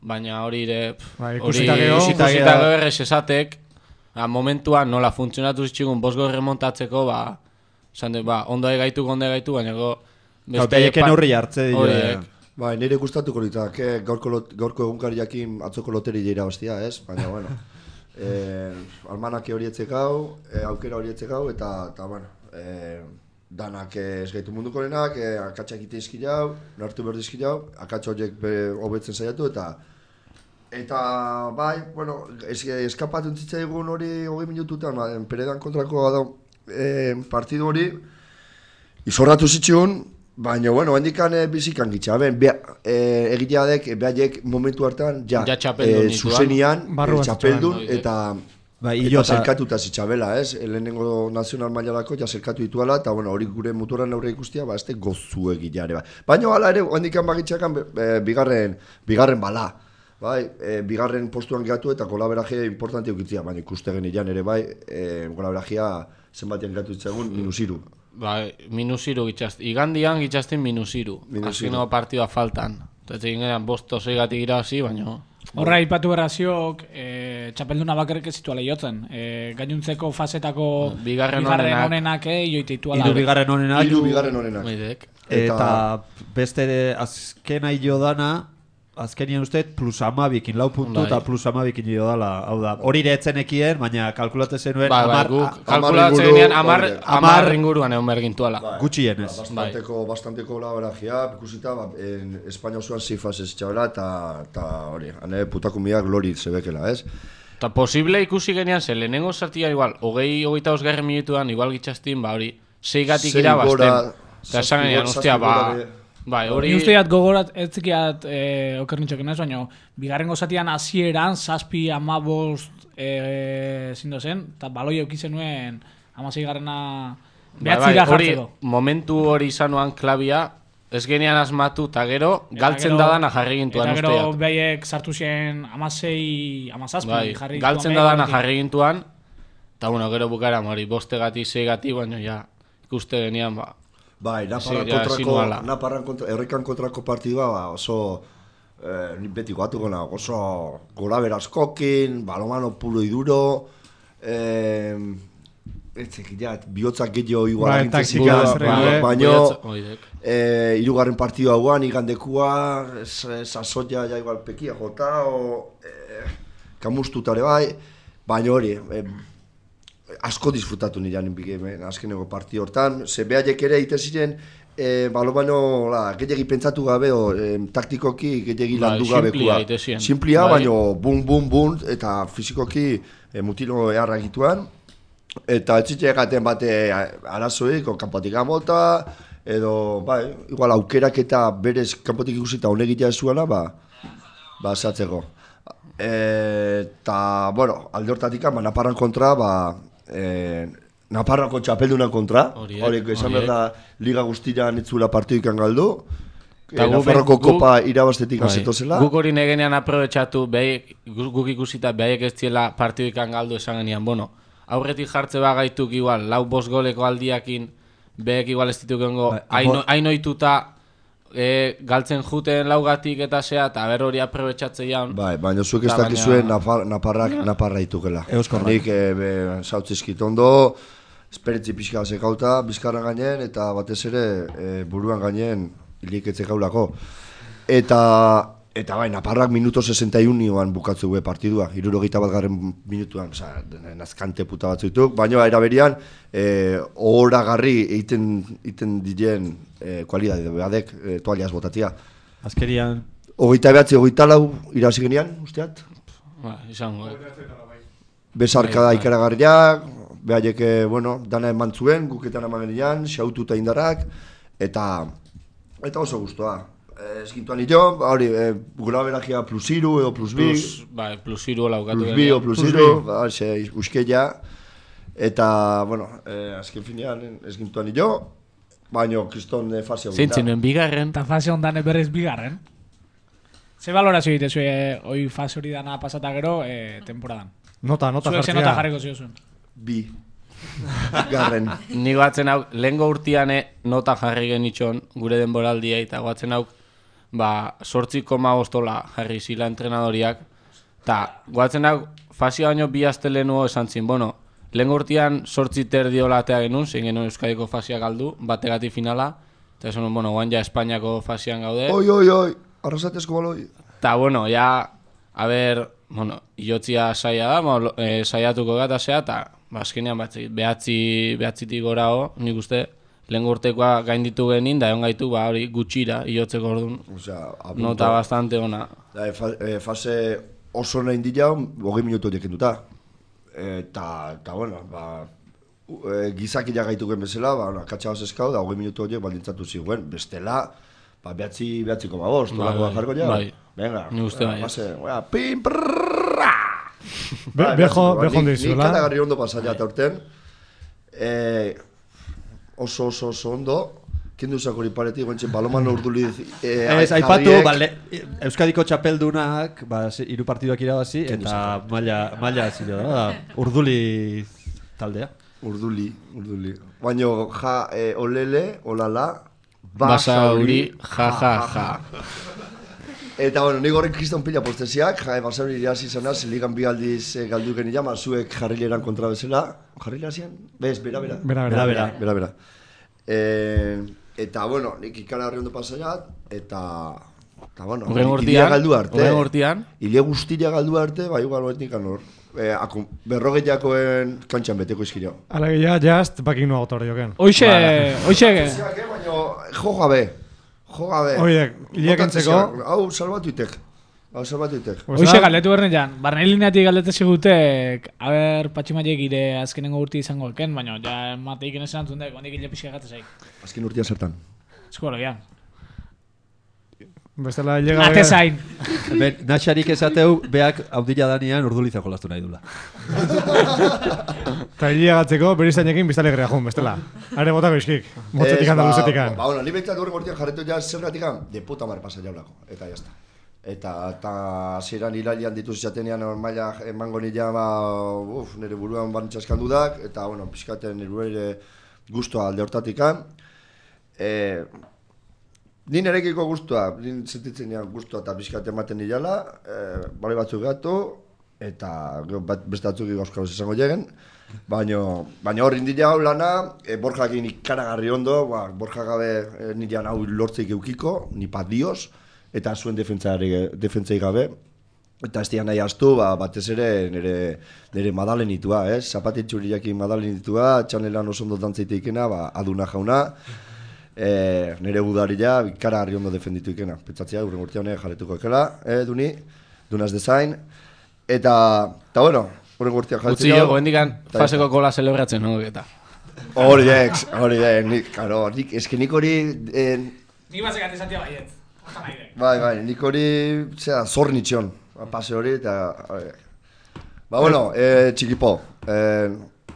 baina hori ere... Ba, ikusita gero, ikusita gero errez esatek, ba, momentua nola funtzionatu zitxigun bosgo remontatzeko, ba, zande, ba, ondo egaitu, ondo egaitu, baina go... Gauta eken horri hartze dira. Ba, nire gustatuko ditak, eh? gaurko, gaurko egunkariakin atzoko loteri dira bastia, ez? Baina, bueno... Eh, almanake hori etzekau, eh, aukera hori etzekau, eta, eta bueno, eh, danak ez gaitu mundukorenak, eh, akatsak ite izkilau, nartu berdi izkilau, akatsa horiek hobetzen saiatu, eta eta bai, bueno, es, eskapatu entzitza egun hori hogei minututan, ba, Peredan kontrako da, eh, partidu hori, izorratu zitxun, baina, bueno, hendikan e, bizikan gitxa, ben, e, egitea dek, behaiek momentu hartan, ja, ja e, zuzenian, e, txapeldun, no, eta, ba, eta zerkatuta zitxabela, ez? Lehenengo nazional mailarako ja zerkatu dituela, eta, bueno, hori gure muturan aurre ikustia, ba, ez de gozu egitea ere, ba. Baina, hala ere, hendikan bagitxakan, e, bigarren, bigarren bala, bai, e, bigarren postuan gatu eta kolaberajea importante eukitzia, baina ikuste genian ere, bai, e, kolaberajea zenbatian gatu ditzagun, minusiru. Ba, minusiru gitxazti. Igandian gitxaztin minusiru. Azkeneko partidua faltan. Eta egin bosto zeigatik irabazi, baina... Horra, ipatu berraziok, e, txapelduna bakarrik ez zitua lehiotzen. E, gainuntzeko fasetako bigarren, bigarren onenak joite ituala. Iru bigarren onenak. Iru bigarren onenak. Eta beste azken aio dana, azkenien uste, plus amabikin, lau puntu eta plus amabikin jo dala. Hau da, hori iretzenekien, baina kalkulate zenuen... Ba, ba, guk kalkulate genean amar ringuruan egon bergintuala. Gutxien ez. Bastanteko, bastanteko labaragia, ikusita, ba, Espainia osoan zifaz ez txabela, eta hori, hane putakumiak lori zebekela, ez? Eta posible ikusi genean, ze lehenengo zartia igual, hogei, hogeita osgarren minutuan, igual gitxaztin, ba, hori, seigatik irabazten. Eta esan genean, ostia, ba... Bai, hori... Ni usteat gogorat, ez zikiat eh, okernitxoken ez, baina bigarrengo zatian hasieran zazpi amabost eh, zindo zen, eta baloi eukitzen nuen amasei garrena behatzira jartzeko. Momentu hori izanuan klabia, ez genean asmatu, eta gero galtzen dadana jarri gintuan usteat. Eta gero behiek sartu zen amasei, amazazpi bai, jarri gintuan. Galtzen dadana jarri gintuan, eta bueno, gero bukara hori bostegati, zeigati, baina ja ikuste genean, ba... Bai, Naparran kontrako, Naparran kontra, errekan kontrako partidua, ba, oso, eh, beti guatu gona, oso golabera askokin, balomano pulo iduro, eh, etzek, ja, bihotzak gehiago igual agintzen baina, eh, irugarren partidua guan, igandekua, sasoia ja igual pekia jota, o, eh, kamustutare bai, baina hori, eh, asko disfrutatu nirean azkeneko parti hortan, ze behaiek ere egiten ziren, e, balomano gehiagi pentsatu gabe, o, e, taktikoki gehiagi landu gabekua. Simplia, baina bum, bum, bum, eta fizikoki e, mutilo eharra egituan, eta ez zitzen egaten bate arazoik, o kanpotik amolta, edo, bai, igual aukerak eta berez kanpotik ikusita honegitea ez zuela, ba, basatzeko. Eta, bueno, alde hortatik, ba, Naparran kontra, ba, e, Naparrako txapelduna kontra, hori, esan behar da, liga guztian itzula partidukan galdu, e, Nafarroko kopa irabaztetik azetozela. Guk hori negenean aprobetxatu, guk ikusita behaiek ez ziela partidukan galdu esan genian, bueno, aurretik jartze bagaituk igual, lau bost goleko aldiakin, behek igual ez dituk gengo, hain oituta, E, galtzen juten laugatik eta zea, eta ber hori aprobetxatze jaun. Bai, baina zuek ez dakizuen napar, naparrak naparra itukela. Nik e, sautzizkit ondo, esperitzi pixka zekauta, bizkarra gainen, eta batez ere e, buruan gainen hiliketze gaulako. Eta, eta bai, naparrak minuto sesenta y uno nioan bukatzu gue partidua, hirurogeita bat garren minutuan, oza, nazkante puta batzu dituk, baina eraberian, e, ohoragarri egiten, egiten diren E, kualidade badek, e, toaliaz botatia. Azkerian... Ogeita behatzi, ogeita lau, irazi genian, usteat? Ba, izango, eh? Besarka da ikaragarriak, behaiek, bueno, dana eman zuen, guketan eman genian, xaututa indarrak, eta eta oso guztua. Ez gintuan nio, hori, e, gura beragia plus iru edo plus bi. Plus, ba, plus iru laukatu. Plus bi o plus iru, ba, xe, uskeia. Eta, bueno, e, azken finean, ez gintuan nio, baina kriston fase hori da. Zintzinen bigarren. Eta fase hondan berriz bigarren. Ze balorazio egite zue hoi fase hori dana pasata gero e, temporadan? Nota, nota jartzea. Zuek ze nota jarriko ziozun? Bi. Garren. Ni batzen hau, lehengo urtiane nota jarri genitxon gure denboraldia, eta batzen hau, ba, sortzi koma bostola jarri zila entrenadoriak, eta batzen hau, fase baino bi aste lehenuo esan zin, bueno, lehen urtean sortzi terdiola atea genuen, zein genuen Euskadiko fasea galdu, bategati finala, eta esan, bueno, guan ja Espainiako fasean gaude. Oi, oi, oi, arrasatezko baloi. Eta, bueno, ja, a ber, bueno, iotzia saia da, ma, e, saiatuko gata zea, eta, ba, azkenean batzi, behatzi, behatzitik gora ho, nik uste, lehen urtekoa gainditu genin, da egon gaitu, ba, hori gutxira, iotzeko orduan, nota bastante ona. Da, e, e, fase oso nahi indila, hogei minutu horiek enduta. Eta, eta, bueno, ba, e, gizakila gaituken bezala, ba, akatsa hos eskau, da hogei minutu horiek baldintzatu ziguen, bestela, ba, behatzi, behatziko ba, bost, tolako da jarko ja? Bai, venga, ni uste bai. Base, oa, pim, prrrrrra! Bejo, bejo ondizula. Nik katagarri ondo pasaia eta urten, oso, oso, oso ondo, kendu zakori paretik, guantxe, baloman urduli... Ez, aipatu, Euskadiko txapeldunak, ba, hiru partiduak irabazi, eta maila, maila zilo da, urduli taldea. Urduli, urduli. Baina, ja, olele, olala, basauri, ja, ja, ja. Eta, bueno, nik horrek kriston pila postesiak, ja, basauri irazi zanaz, ligan bi aldiz galdu geni jama, zuek jarrileran kontra bezala. Jarrilera zian? Bez, bera, bera. Bera, bera. Bera, bera. bera. Eh, eta, bueno, nik ikara horri ondo pasaiat, eta... Eta, bueno, ilia galdu arte. Horren urtean. Ilia guztia galdu arte, bai, igual, etnik anor. Eh, berrogeiakoen kantxan beteko izkira. Ala gehiago, jast, bakin nua gotorri joken. Oixe, oixe. Baina, jo gabe. Jo gabe. Oiek, iliak entzeko. Hau, salbatuitek. Hau, salbatuitek. Oixe, galdetu berne jan. Barne lineatik galdete zigutek, haber, patximaiek ire azkenengo urti izango eken, baina, ja, mateik enezen antzun dek, ondik hile pixka gatezaik. Azken urtia zertan. Eskologian. Bestela llega... Ate zain. Ben, natxarik esateu, beak haudila danian urdulizako lastu nahi dula. Eta hilia gatzeko, berizainekin biztale grea jun, bestela. Are botako iskik, motzetik handa luzetikan. Ba, bueno, ni behitzat horrek gortian jarretu ja zergatikan, de puta mar pasa jaulako, eta jazta. Eta, eta ziren hilalian dituz jatenean maila emango nila, ba, uf, nire buruan bantxaskan dudak, eta, bueno, pixkaten nire ere guztua alde hortatikan. Eh, Ni nerekiko guztua, ni sentitzen nian guztua eta pixkat ematen nilala, e, bale batzuk gatu, eta bat, beste batzuk gauzkaroz izango lleguen, baina baina hor indila hau lana, e, Borjakin ikaragarri ondo, ba, Borja gabe e, nirean hau lortzeik eukiko, ni pat dios, eta zuen defentzai gabe, eta ez dian nahi astu, ba, batez ere nire, nire madalenitua, eh? Zapatitxuriakin madalenitua, txanelan oso ondo dantzaiteikena, ba, aduna jauna, E, nire budaria ikara harri ondo defenditu ikena. Petzatzea, urren urtea honek jarretuko ekela, eh, duni, dunaz dezain. Eta, eta bueno, urren urtea jarretuko. Utsi jo, goendikan faseko kola celebratzen, no? Eta. Hori dek, hori dek, nik, karo, nik, eske nik hori... Eh, nik batzek atizantia baiet. Bai, bai, nik hori, zera, zornitxion, pase hori, eta... Ba, bueno, eh, txikipo, eh,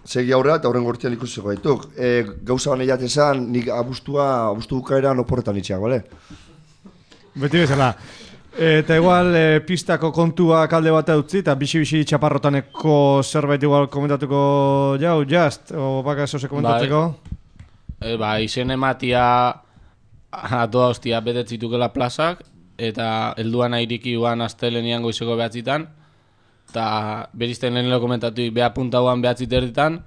segi aurrera eta horren gortian ikusiko gaituk. Eh, gauza bane jatezan, nik abustua, abustu bukaeran oporretan itxeak, bale? Beti bezala. Eta igual e, pistako kontua kalde bat utzi eta bixi-bixi txaparrotaneko zerbait igual komentatuko jau, just, o baka esose komentatzeko? Bai, e, ba, izen ematia atoa hostia betetzitukela plazak eta helduan airiki uan astelenian goizeko behatzitan eta berizten lehen lo komentatu beha puntauan behatzit erditan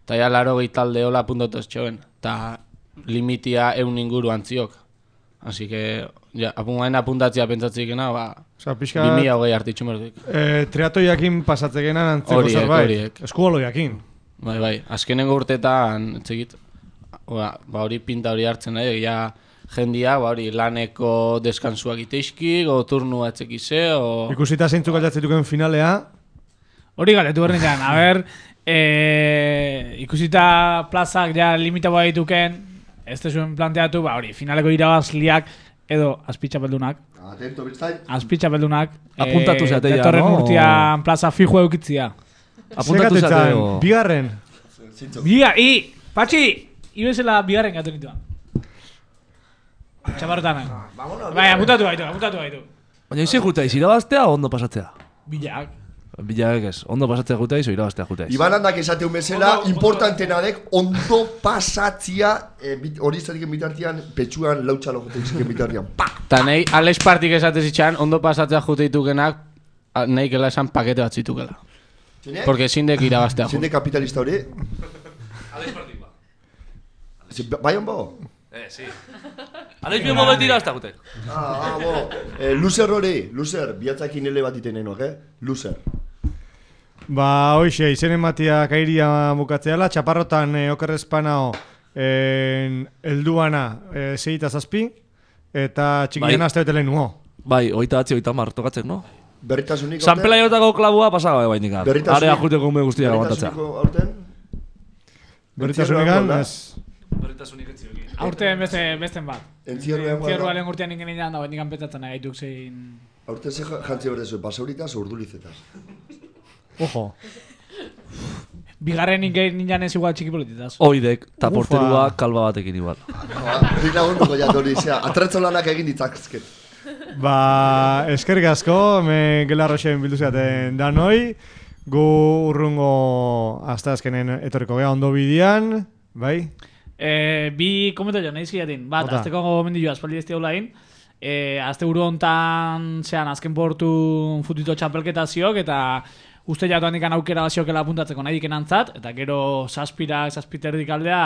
eta ja laro gehi talde hola puntatu estxoen eta limitia eun inguru antziok. Así que, ja, apungain apuntatzea pentsatzikena, ba, Osa, pixka... bi mila hogei artitxu merdik. E, triatoiakin pasatzekenan antzeko Horiek, zerbait. horiek. Eskuoloiakin. Bai, bai, azkenengo urtetan, etzegit, ba, hori pinta hori hartzen nahi, ja, jendia, ba, hori laneko deskansuak iteizki, go turnua etzekize, o... Ikusita zeintzuk aldatzituken finalea. Hori galetu bernetan, a ber, e, ikusita plazak ja limitaboa dituken, ez da zuen planteatu, ba hori, finaleko irabazliak edo azpitxapeldunak. Atento, biztain. Azpitxapeldunak. Apuntatu zatea, no? Datorren urtean plaza fijo eukitzia. Apuntatu zatea. Bigarren. Biga, i, patxi, ibezela bigarren gatu nituan. Txaparrotan. Bai, apuntatu gaitu, apuntatu gaitu. Baina izi juta, izi irabaztea o ondo pasatzea? Bilak. Bilak ez, ondo pasatzea juta izo irabaztea juta iz. Iban handak esateun bezala, importantena dek, ondo pasatzia, hori izatiken bitartian, petxuan lautxalo jote izatiken bitartian. Pa! Ta nahi, Alex Partik esatez itxan, ondo pasatzea jute ditukenak, nahi kela esan pakete bat zitukela. Zine? Porque zindek irabaztea Zinde kapitalista hori? Alex Partik ba. Bai hon bo? Eh, si. Alex bien modo tira hasta gute. Ah, ah, bo. Eh, loser hori, loser, bihatzakin ele bat iten enoak, eh? Loser. Ba, hoxe, izen ematia kairia bukatzeala, txaparrotan e, okerrezpanao e, elduana e, zeita zazpi, eta txikiena bai. Azte bete lehen nuo. Bai, oita batzi, oita mar, tokatzen, no? Berritasunik San Pelaiotako klabua pasaba bai nikar. Berritasunik... Area juteko me guztiak aguantatzea. Berritasuniko aurten? Berritasunik ez? Berritasunik ez zioki. Aurten beste, besten bat. Entzierroa Entzierroa lehen urtean ingen inan, da nikan petatzen agaituk zein... Aurten ze jantzi berdezu, basauritaz o urdulizetaz. Ojo. Bigarren ingen ninan ez igual txiki polititaz. Oidek, eta porterua kalba batekin igual. Rik lagunduko jatori, zera, atretzo lanak egin ditzakzket. Ba, eskerrik asko, me gelarroxen bildu zeaten danoi, gu urrungo hasta azkenen etorriko geha ondo bidian, bai? E, bi komento jo, nahi ziatin. Bat, Ota. Azteko gomendio aspaldi ez diaulain. E, azte buru hontan, zean, azken portu futito txapelketa ziok, eta uste jatuan ikan aukera ziokela apuntatzeko nahi diken antzat, eta gero saspira, saspiterdik aldea,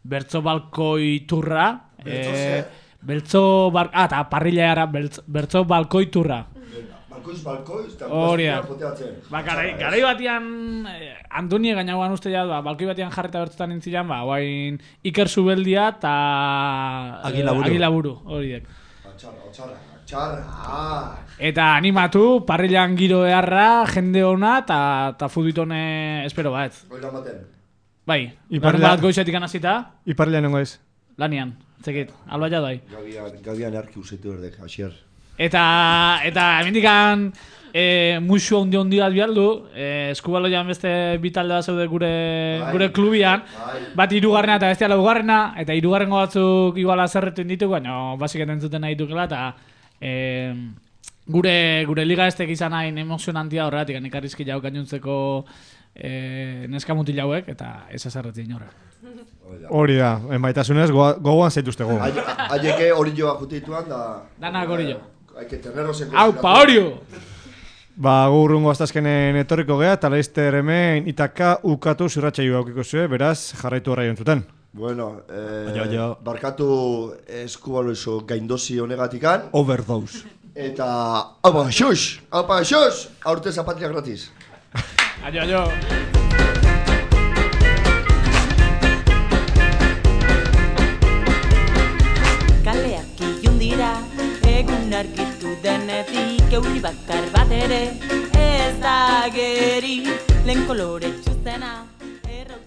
bertzo balkoi turra. Bertzo e, ze? Beltzo bar... Ah, eta parrilla era bertzo balkoi turra. Balkoiz, balkoiz, eta Horia. joteatzen. Ba, garai, garai batian, eh, Antonie gainagoan uste ja, ba, balkoi batian jarreta bertzetan intzilan, ba, guain Iker Zubeldia eta Agilaburu. eh, Agilaburu, horiek. Atxarra, atxarra, atxarra. Eta animatu, parrillan giro beharra, jende ona, eta ta futbitone espero bat. Goila maten. Bai, Iparrilla- bat goizetik anazita, Iparrila nengo ez. lanian, zekit, alba jadai. Gabian, gabian erki usaitu berdek, asier. Eta, eta hemendikan e, musu ondi ondi bat bialdu, e, eskubaloian beste bi talde bat zeude gure, Bai. gure klubian, Bai. bat hirugarrena eta bestea laugarrena, eta hirugarrengo batzuk iguala zerretu inditu, baina basik entzuten nahi dukela, eta e, gure, gure liga estek izan hain emozionantia horretik, ekarrizki jau gainuntzeko e, neska mutil hauek, eta ez azarretu inora. Hori da, enbaitasunez, goa- gogoan zaituztego. Aieke hori joa jutituan da... Danak hori jo. Haike tenerrosen... Aupa, Orio! Ba, gurrungo aztazkenen etorriko geha, eta laizter hemen itaka ukatu zirratxaio aukiko zuen, beraz, jarraitu horra jontzuten. Bueno, eh, Baina, baina. barkatu eskubaloizo gaindozi honegatikan. Overdose. Eta... Aupa, xux! Aupa, xux! Aurte zapatria gratis. Aio, aio! Kaleak ilun dira, egun argitu denetik euri bakar bat ere ez da geri, lehen kolore